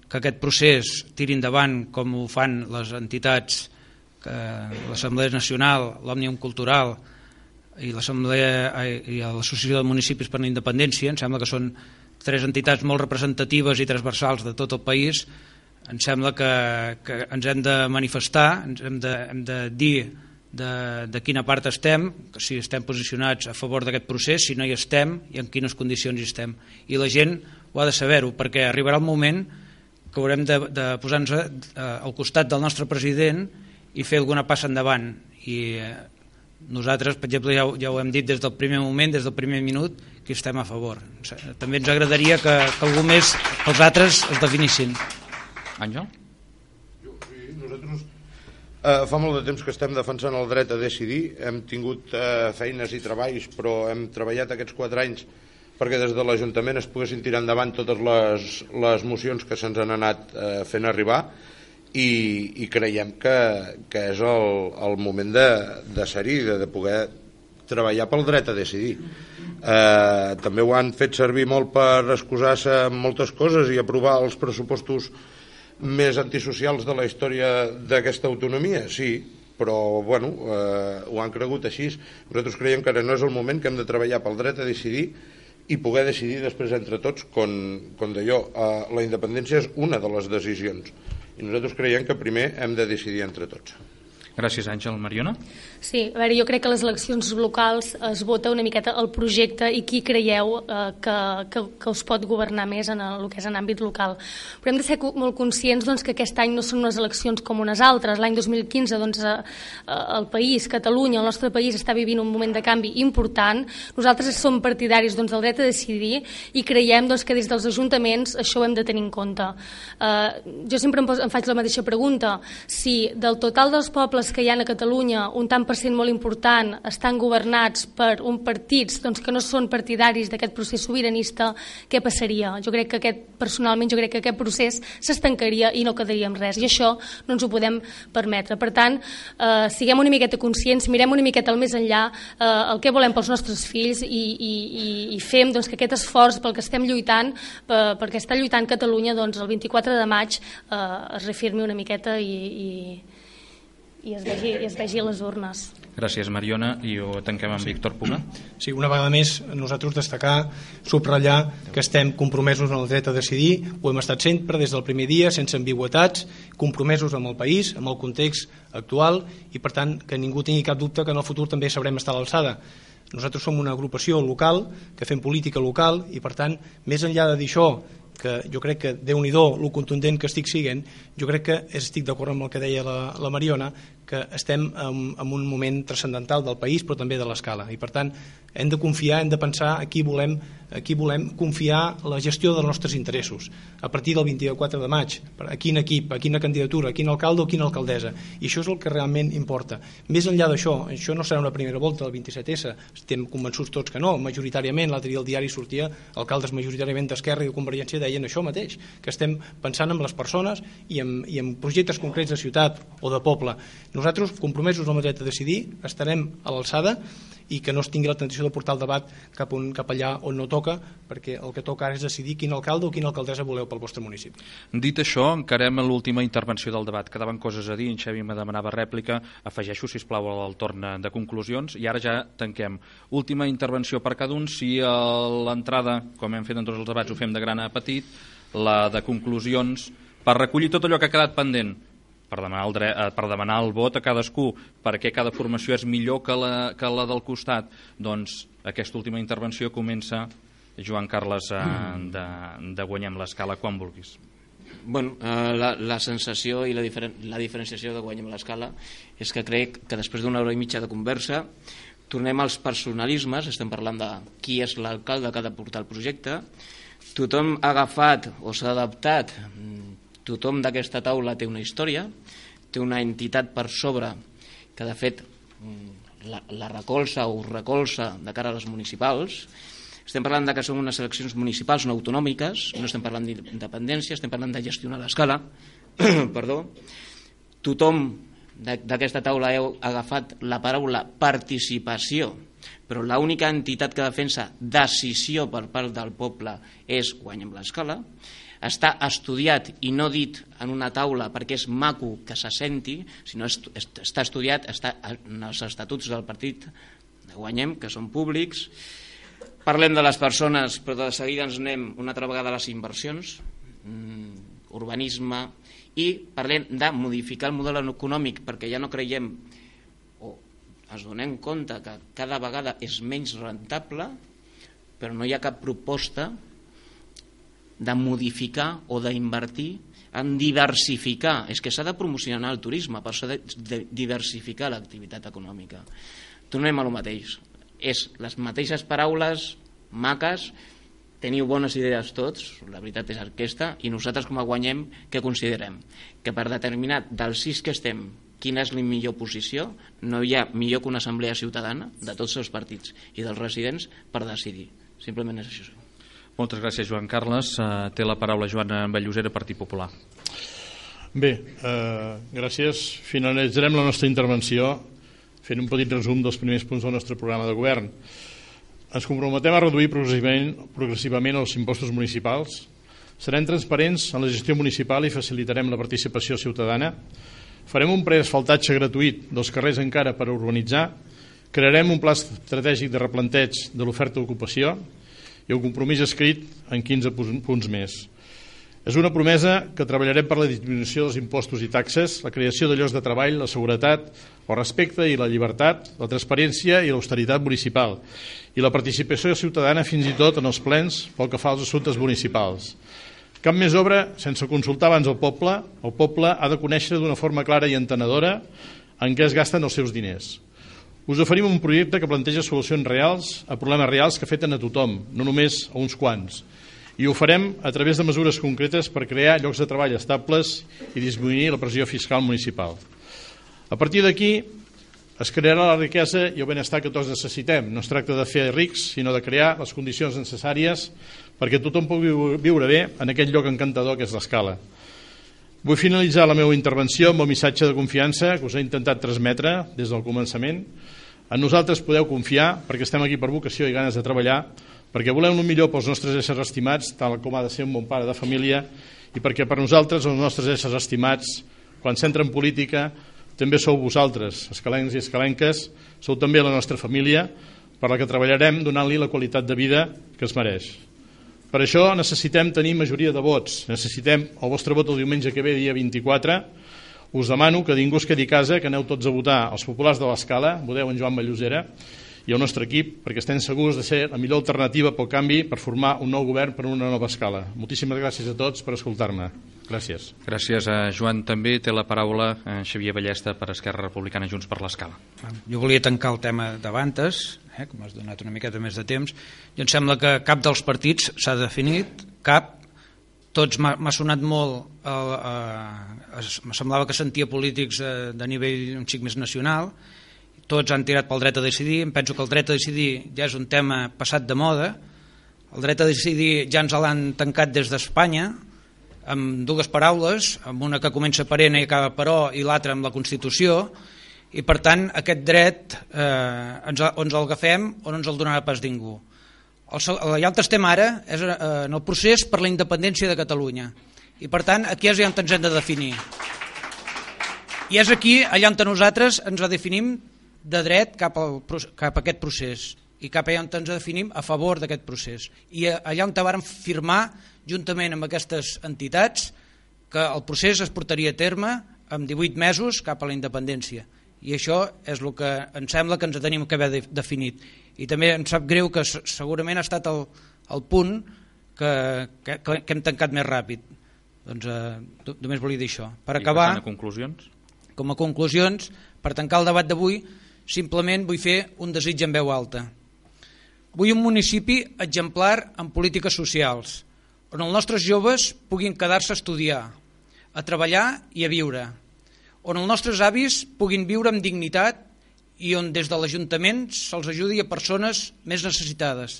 que aquest procés tiri endavant com ho fan les entitats, l'Assemblea Nacional, l'Òmnium Cultural i l'Associació de Municipis per la Independència, em sembla que són 3 entitats molt representatives i transversals de tot el país, em sembla que ens hem de manifestar, hem de dir de quina part estem, si estem posicionats a favor d'aquest procés, si no hi estem i en quines condicions hi estem. I la gent ho ha de saber-ho, perquè arribarà el moment que haurem de posar-nos al costat del nostre president i fer alguna passa endavant. I nosaltres, per exemple, ja ho hem dit des del primer moment, des del primer minut, que estem a favor. També ens agradaria que algú més, els altres, es definissin. Àngel? Nosaltres fa molt de temps que estem defensant el dret a decidir, hem tingut feines i treballs, però hem treballat aquests 4 anys perquè des de l'Ajuntament es poguessin tirar endavant totes les mocions que se'ns han anat fent arribar i creiem que és el moment de ser-hi, de poder treballar pel dret a decidir. També ho han fet servir molt per excusar-se en moltes coses i aprovar els pressupostos més antisocials de la història d'aquesta autonomia, sí, però bueno, ho han cregut així. Nosaltres creiem que ara no és el moment, que hem de treballar pel dret a decidir i poder decidir després entre tots, com deia, la independència és una de les decisions i nosaltres creiem que primer hem de decidir entre tots. Gràcies, Àngel. Mariona? Sí, a veure, jo crec que a les eleccions locals es vota una miqueta el projecte i qui creieu que us pot governar més en el que és en àmbit local. Però hem de ser molt conscients que aquest any no són unes eleccions com unes altres. L'any 2015 el país, Catalunya, el nostre país està vivint un moment de canvi important. Nosaltres som partidaris del dret a decidir i creiem que des dels ajuntaments això ho hem de tenir en compte. Jo sempre em faig la mateixa pregunta. Si del total dels pobles que hi ha a Catalunya, un tant per cent molt important estan governats per partits que no són partidaris d'aquest procés sobiranista, què passaria? Personalment jo crec que aquest procés s'estancaria i no quedaria amb res, i això no ens ho podem permetre. Per tant, siguem una miqueta conscients, mirem una miqueta al més enllà el que volem pels nostres fills i fem que aquest esforç pel que estem lluitant, perquè està lluitant Catalunya, el 24 de maig es reafirmi una miqueta i es vegi a les urnes. Gràcies, Mariona. I ho tanquem amb Víctor Puga. Sí, una vegada més, nosaltres destacar, subratllar que estem compromesos en el dret a decidir, ho hem estat sempre des del primer dia, sense ambigüitats, compromesos amb el país, amb el context actual, i per tant que ningú tingui cap dubte que en el futur també sabrem estar a l'alçada. Nosaltres som una agrupació local, que fem política local, i per tant, més enllà de dir això, que jo crec que Déu-n'hi-do lo contundent que estic siguent, jo crec que estic d'acord amb el que deia la Mariona, que estem en un moment transcendental del país però també de l'escala, i per tant hem de confiar, hem de pensar a qui volem confiar la gestió dels nostres interessos a partir del 24 de maig, a quin equip, a quina candidatura, a quin alcalde o quina alcaldessa, i això és el que realment importa. Més enllà d'això, això no serà una primera volta del 27S, estem convençuts tots que no, majoritàriament, l'altre dia al diari sortia alcaldes majoritàriament d'Esquerra i de Convergència deien això mateix, que estem pensant en les persones i en projectes concrets de ciutat o de poble. Nosaltres, compromesos amb el dret a decidir, estarem a l'alçada i que no es tingui la tentació de portar el debat cap allà on no toca, perquè el que toca ara és decidir quin alcalde o quina alcaldessa voleu pel vostre municipi. Dit això, encarem l'última intervenció del debat. Quedaven coses a dir, en Xavi me demanava rèplica, afegeixo, sisplau, al torn de conclusions, i ara ja tanquem. Última intervenció per cada un, si l'entrada, com hem fet en tots els debats, ho fem de gran a petit, la de conclusions, per recollir tot allò que ha quedat pendent, per demanar el vot a cadascú, perquè cada formació és millor que la del costat. Doncs aquesta última intervenció comença, Joan Carles, de Guanyem l'Escala, quan vulguis. Bueno, la sensació i la diferenciació de Guanyem l'Escala és que crec que després d'una hora i mitja de conversa tornem als personalismes, estem parlant de qui és l'alcalde que ha de portar el projecte, tothom ha agafat o s'ha adaptat, tothom d'aquesta taula té una història, té una entitat per sobre que de fet la recolza o recolza de cara a les municipals. Estem parlant que són unes eleccions municipals no autonòmiques, no estem parlant d'independència, estem parlant de gestionar l'escala. Perdó. Tothom d'aquesta taula heu agafat la paraula participació, però l'única entitat que defensa decisió per part del poble és Guanyem l'Escala. està estudiat i no dit en una taula perquè és maco que se senti, sinó està estudiat, està en els estatuts del partit de Guanyem, que són públics. Parlem de les persones, però de seguida ens anem una altra vegada a les inversions, urbanisme, i parlem de modificar el model econòmic perquè ja no creiem o ens donem compte que cada vegada és menys rentable, però no hi ha cap proposta de modificar o d'invertir en diversificar. És que s'ha de promocionar el turisme, per això de diversificar l'activitat econòmica. Tornem a lo mateix. És les mateixes paraules maques, teniu bones idees tots, la veritat és aquesta, i nosaltres com a Guanyem, què considerem? Que per determinar dels 6 que estem quina és la millor posició, no hi ha millor que una assemblea ciutadana de tots els partits i dels residents per decidir. Simplement és això. Moltes gràcies, Joan Carles. Té la paraula Joan Vallosera, Partit Popular. Bé, gràcies. Finalitzarem la nostra intervenció fent un petit resum dels primers punts del nostre programa de govern. Ens comprometem a reduir progressivament els impostos municipals. Serem transparents en la gestió municipal i facilitarem la participació ciutadana. Farem un preasfaltatge gratuït dels carrers encara per urbanitzar. Crearem un pla estratègic de replanteig de l'oferta d'ocupació i un compromís escrit en 15 punts més. És una promesa que treballarem per la disminució dels impostos i taxes, la creació de llocs de treball, la seguretat, el respecte i la llibertat, la transparència i l'austeritat municipal i la participació ciutadana fins i tot en els plens pel que fa als assumptes municipals. Cap més obra sense consultar abans el poble. El poble ha de conèixer d'una forma clara i entenedora en què es gasten els seus diners. Us oferim un projecte que planteja solucions reals a problemes reals que afecten a tothom, no només a uns quants. I ho farem a través de mesures concretes per crear llocs de treball estables i disminuir la pressió fiscal municipal. A partir d'aquí es crearà la riquesa i el benestar que tots necessitem. No es tracta de fer rics, sinó de crear les condicions necessàries perquè tothom pugui viure bé en aquest lloc encantador que és l'Escala. Vull finalitzar la meva intervenció amb el missatge de confiança que us he intentat transmetre des del començament. En nosaltres podeu confiar perquè estem aquí per vocació i ganes de treballar, perquè volem el millor pels nostres éssers estimats, tal com ha de ser un bon pare de família, i perquè per nosaltres, els nostres éssers estimats, quan s'entra en política, també sou vosaltres, escalencs i escalenques, sou també la nostra família, per la que treballarem donant-li la qualitat de vida que es mereix. Per això necessitem tenir majoria de vots, necessitem el vostre vot el diumenge que ve, dia 24. Us demano que ningú es quedi a casa, que aneu tots a votar els populars de l'Escala, voteu en Joan Vallosera i el nostre equip, perquè estem segurs de ser la millor alternativa pel canvi per formar un nou govern per una nova Escala. Moltíssimes gràcies a tots per escoltar-me. Gràcies. Gràcies a Joan. També té la paraula Xavier Ballesta per Esquerra Republicana Junts per l'Escala. Jo volia tancar el tema d'Avantes, com has donat una miqueta més de temps. Jo em sembla que cap dels partits s'ha definit, cap. Tots m'ha sonat molt, me semblava que sentia polítics de nivell un xic més nacional, tots han tirat pel dret a decidir. Em penso que el dret a decidir ja és un tema passat de moda. El dret a decidir ja ens l'han tancat des d'Espanya amb dues paraules, amb una que comença per N i acaba per O i l'altra amb la Constitució, i per tant aquest dret o ens el agafem o no ens el donarà pas ningú. Ja on estem ara és en el procés per la independència de Catalunya, i per tant aquí és allà on ens hem de definir, i és aquí allà on nosaltres ens definim de dret cap a aquest procés i cap allà on ens definim a favor d'aquest procés, i allà on vàrem firmar juntament amb aquestes entitats que el procés es portaria a terme en 18 mesos cap a la independència, i això és el que em sembla que ens tenim que haver definit. I també em sap greu que segurament ha estat el punt que hem tancat més ràpid. Doncs només volia dir això. Per acabar, com a conclusions, per tancar el debat d'avui, simplement vull fer un desig en veu alta. Vull un municipi exemplar en polítiques socials, on els nostres joves puguin quedar-se a estudiar, a treballar i a viure, on els nostres avis puguin viure amb dignitat i on des de l'Ajuntament se'ls ajudi a persones més necessitades.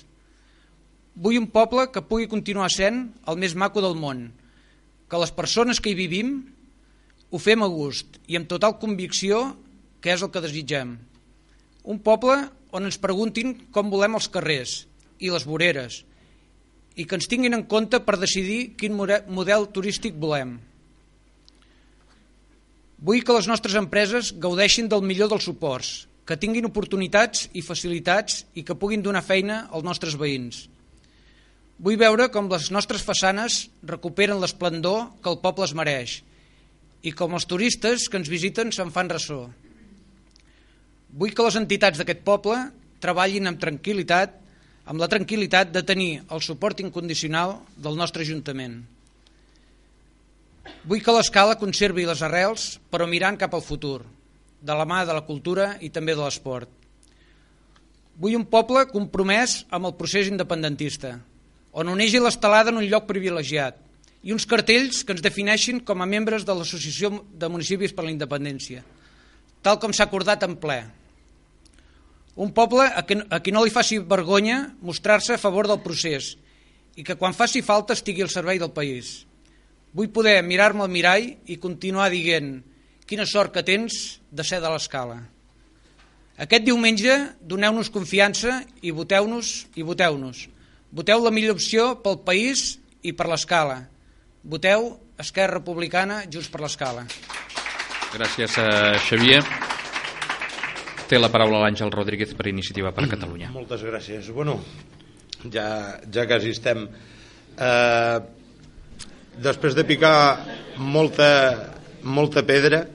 Vull un poble que pugui continuar sent el més maco del món, que les persones que hi vivim ho fem a gust i amb total convicció que és el que desitgem. Un poble on ens preguntin com volem els carrers i les voreres i que ens tinguin en compte per decidir quin model turístic volem. Vull que les nostres empreses gaudeixin del millor dels suports, que tinguin oportunitats i facilitats i que puguin donar feina als nostres veïns. Vull veure com les nostres façanes recuperen l'esplendor que el poble es mereix i com els turistes que ens visiten se'n fan ressò. Vull que les entitats d'aquest poble treballin amb tranquil·litat, amb la tranquil·litat de tenir el suport incondicional del nostre Ajuntament. Vull que l'Escala conservi les arrels, però mirant cap al futur, de la mà de la cultura i també de l'esport. Vull un poble compromès amb el procés independentista, on uneixi l'estelada en un lloc privilegiat i uns cartells que ens defineixin com a membres de l'Associació de Municipis per la Independència, tal com s'ha acordat en ple. Un poble a qui no li faci vergonya mostrar-se a favor del procés i que quan faci falta estigui al servei del país. Vull poder mirar-me al mirall i continuar dient quina sort que tens de ser de l'Escala. Aquest diumenge doneu-nos confiança i voteu-nos i voteu-nos. Voteu la millor opció pel país i per l'Escala. Voteu Esquerra Republicana, Junts per l'Escala. Gràcies, Xavier. Té la paraula l'Àngel Rodríguez per Iniciativa per Catalunya. Moltes gràcies. Bueno, ja quasi estem. Després de picar molta pedra,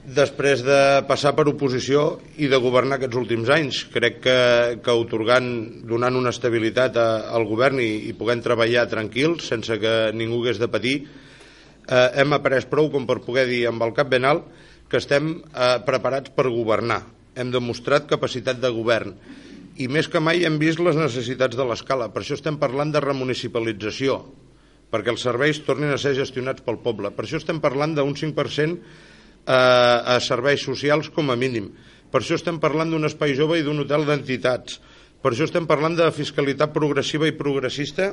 després de passar per oposició i de governar aquests últims anys, crec que donant una estabilitat al govern i podent treballar tranquils, sense que ningú hagués de patir, hem après prou com per poder dir amb el cap ben alt que estem preparats per governar. Hem demostrat capacitat de govern i més que mai hem vist les necessitats de l'Escala. Per això estem parlant de remunicipalització, perquè els serveis tornin a ser gestionats pel poble. Per això estem parlant d'un 5% a serveis socials com a mínim. Per això estem parlant d'un espai jove i d'un hotel d'entitats. Per això estem parlant de fiscalitat progressiva i progressista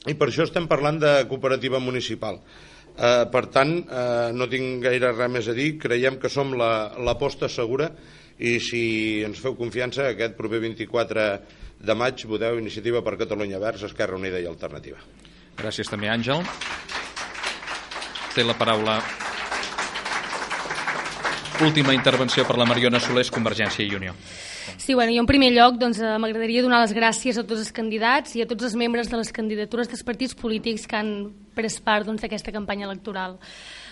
i per això estem parlant de cooperativa municipal. Per tant, no tinc gaire res més a dir. Creiem que som l'aposta segura i si ens feu confiança, aquest proper 24 de maig voteu Iniciativa per Catalunya Verds, Esquerra Unida i Alternativa. Gràcies també, Àngel. Té la paraula. Última intervenció per la Mariona Solés, Convergència i Unió. Sí, bueno, jo en primer lloc m'agradaria donar les gràcies a tots els candidats i a tots els membres de les candidatures dels partits polítics que han pres part d'aquesta campanya electoral.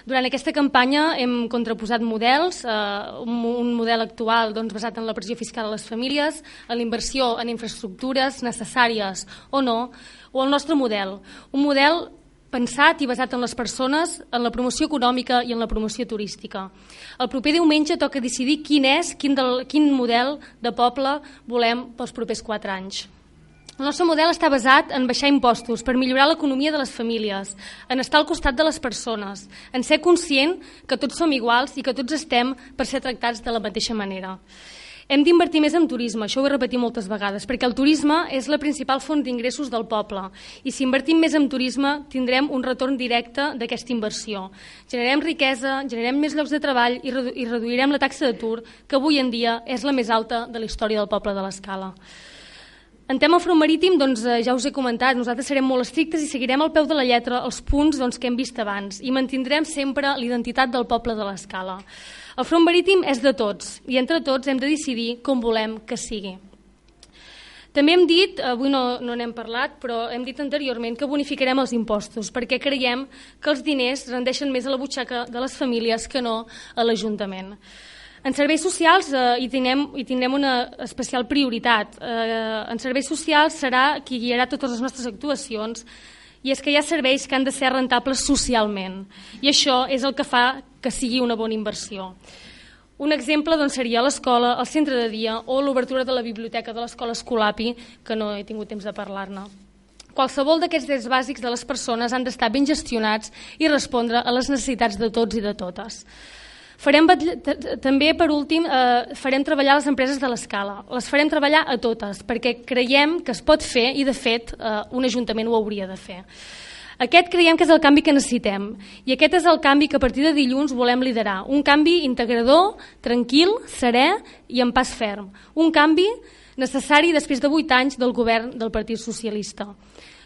Durant aquesta campanya hem contraposat models, un model actual basat en la pressió fiscal a les famílies, en la inversió en infraestructures necessàries o no, o el nostre model, un model pensat i basat en les persones, en la promoció econòmica i en la promoció turística. El proper diumenge toca decidir quin model de poble volem pels propers 4 anys. El nostre model està basat en baixar impostos per millorar l'economia de les famílies, en estar al costat de les persones, en ser conscient que tots som iguals i que tots estem per ser tractats de la mateixa manera. Hem d'invertir més en turisme, això ho he repetit moltes vegades, perquè el turisme és la principal font d'ingressos del poble i si invertim més en turisme tindrem un retorn directe d'aquesta inversió. Generarem riquesa, generarem més llocs de treball i reduirem la taxa d'atur, que avui en dia és la més alta de la història del poble de l'Escala. En tema front marítim, ja us he comentat, nosaltres serem molt estrictes i seguirem al peu de la lletra els punts que hem vist abans i mantindrem sempre l'identitat del poble de l'Escala. El front marítim és de tots i entre tots hem de decidir com volem que sigui. També hem dit, avui no n'hem parlat, però hem dit anteriorment que bonificarem els impostos perquè creiem que els diners rendeixen més a la butxaca de les famílies que no a l'Ajuntament. En serveis socials hi tindrem una especial prioritat. En serveis socials serà qui guiarà totes les nostres actuacions i és que hi ha serveis que han de ser rentables socialment i això és el que fa que sigui una bona inversió. Un exemple seria l'escola, el centre de dia o l'obertura de la biblioteca de l'escola Escolapi, que no he tingut temps de parlar-ne. Qualsevol d'aquests drets bàsics de les persones han d'estar ben gestionats i respondre a les necessitats de tots i de totes. També, per últim, farem treballar les empreses de l'Escala. Les farem treballar a totes, perquè creiem que es pot fer i, de fet, un ajuntament ho hauria de fer. Aquest creiem que és el canvi que necessitem i aquest és el canvi que a partir de dilluns volem liderar. Un canvi integrador, tranquil, serè i en pas ferm. Un canvi necessari després de 8 anys del govern del Partit Socialista.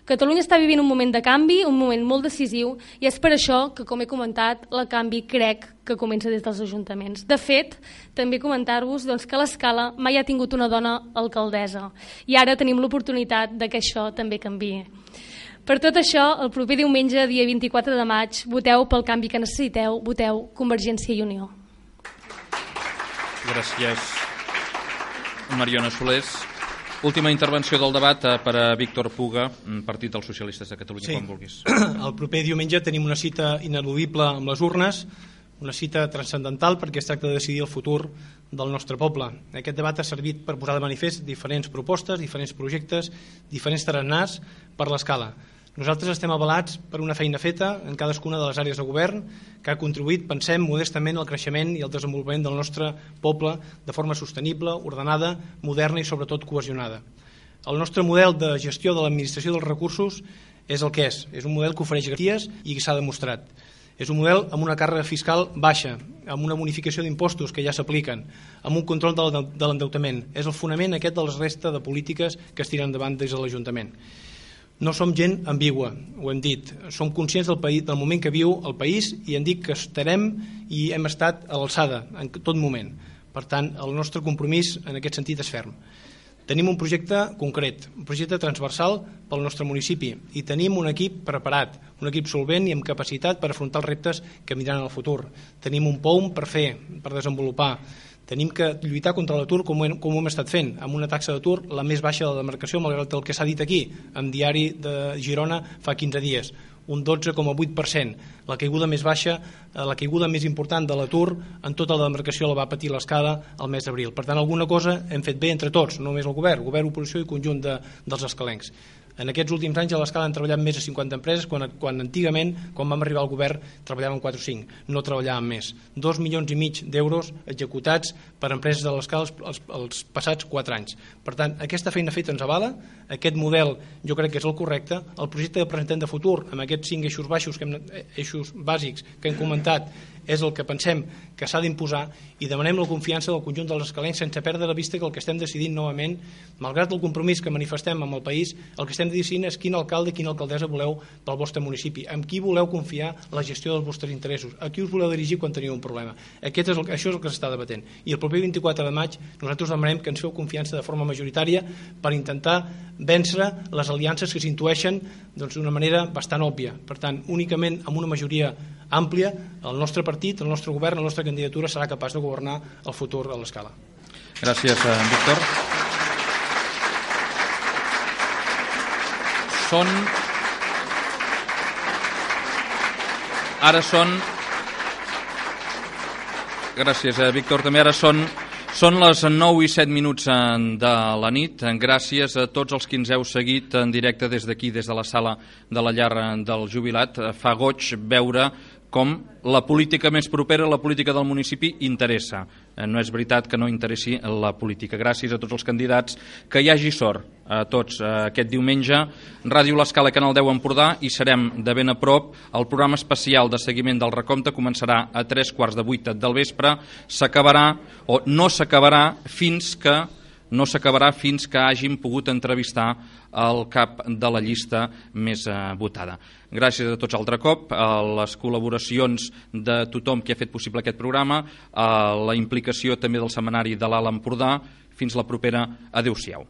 Catalunya està vivint un moment de canvi, un moment molt decisiu, i és per això que, com he comentat, el canvi crec que comença des dels ajuntaments. De fet, també comentar-vos que l'Escala mai ha tingut una dona alcaldessa i ara tenim l'oportunitat de que això també canviï. Per tot això, el proper diumenge, dia 24 de maig, voteu pel canvi que necessiteu, voteu Convergència i Unió. Gràcies, Mariona Solés. Última intervenció del debat per a Víctor Puga, Partit dels Socialistes de Catalunya, quan vulguis. El proper diumenge tenim una cita ineludible amb les urnes, una cita transcendental perquè es tracta de decidir el futur del nostre poble. Aquest debat ha servit per posar de manifest diferents propostes, diferents projectes, diferents tarannars per l'Escala. Nosaltres estem avalats per una feina feta en cadascuna de les àrees de govern que ha contribuït, pensem, modestament al creixement i al desenvolupament del nostre poble de forma sostenible, ordenada, moderna i sobretot cohesionada. El nostre model de gestió de l'administració dels recursos és el que és un model que ofereix garanties i que s'ha demostrat. És un model amb una càrrega fiscal baixa, amb una bonificació d'impostos que ja s'apliquen, amb un control de l'endeutament. És el fonament aquest de la resta de polítiques que es tiren endavant des de l'Ajuntament. No som gent ambigua, ho hem dit. Som conscients del moment que viu el país i hem dit que estarem i hem estat a l'alçada en tot moment. Per tant, el nostre compromís en aquest sentit és ferm. Tenim un projecte concret, un projecte transversal pel nostre municipi i tenim un equip preparat, un equip solvent i amb capacitat per afrontar els reptes que vindran en el futur. Tenim un POUM per fer, per desenvolupar. Tenim que lluitar contra l'atur com ho hem estat fent, amb una taxa d'atur la més baixa de la demarcació, malgrat el que s'ha dit aquí, en Diari de Girona fa 15 dies, un 12,8%. La caiguda més baixa, la caiguda més important de l'atur en tota la demarcació la va patir l'Escala el mes d'abril. Per tant, alguna cosa hem fet bé entre tots, no només el govern, oposició i conjunt dels escalencs. En aquests últims anys a l'Escala han treballat més de 50 empreses, quan antigament, quan vam arribar al govern, treballaven 4 o 5, no treballaven més. 2,5 milions d'euros executats per empreses de l'Escala els passats 4 anys. Per tant, aquesta feina feta ens avala, aquest model jo crec que és el correcte, el projecte que presentem de futur, amb aquests 5 eixos bàsics que hem comentat, és el que pensem que s'ha d'imposar i demanem la confiança del conjunt dels escalencs sense perdre de vista que el que estem decidint novament, malgrat el compromís que manifestem amb el país, el que estem decidint és quin alcalde i quina alcaldessa voleu pel vostre municipi, amb qui voleu confiar la gestió dels vostres interessos, a qui us voleu dirigir quan teniu un problema. Això és el que s'està debatent. I el proper 24 de maig nosaltres demanem que ens feu confiança de forma majoritària per intentar vèncer les aliances que s'intueixen d'una manera bastant òbvia. Per tant, únicament amb una majoria àmplia, el nostre partit, el nostre govern, la nostra candidatura serà capaç de governar el futur a l'Escala. Gràcies, Víctor. Gràcies, Víctor. També ara són les 9 i 7 minuts de la nit. Gràcies a tots els que ens heu seguit en directe des d'aquí, des de la sala de la llar del jubilat. Fa goig veure com la política més propera, la política del municipi, interessa. No és veritat que no interessi la política. Gràcies a tots els candidats. Que hi hagi sort a tots aquest diumenge. Ràdio L'Escala, Canal 10 Empordà, i serem de ben a prop. El programa especial de seguiment del recompte començarà a 7:45 del vespre. S'acabarà o no s'acabarà fins que hàgim pogut entrevistar el cap de la llista més votada. Gràcies a tots altre cop, a les col·laboracions de tothom que ha fet possible aquest programa, a la implicació també del setmanari de l'Alt Empordà. Fins la propera. Adéu-siau.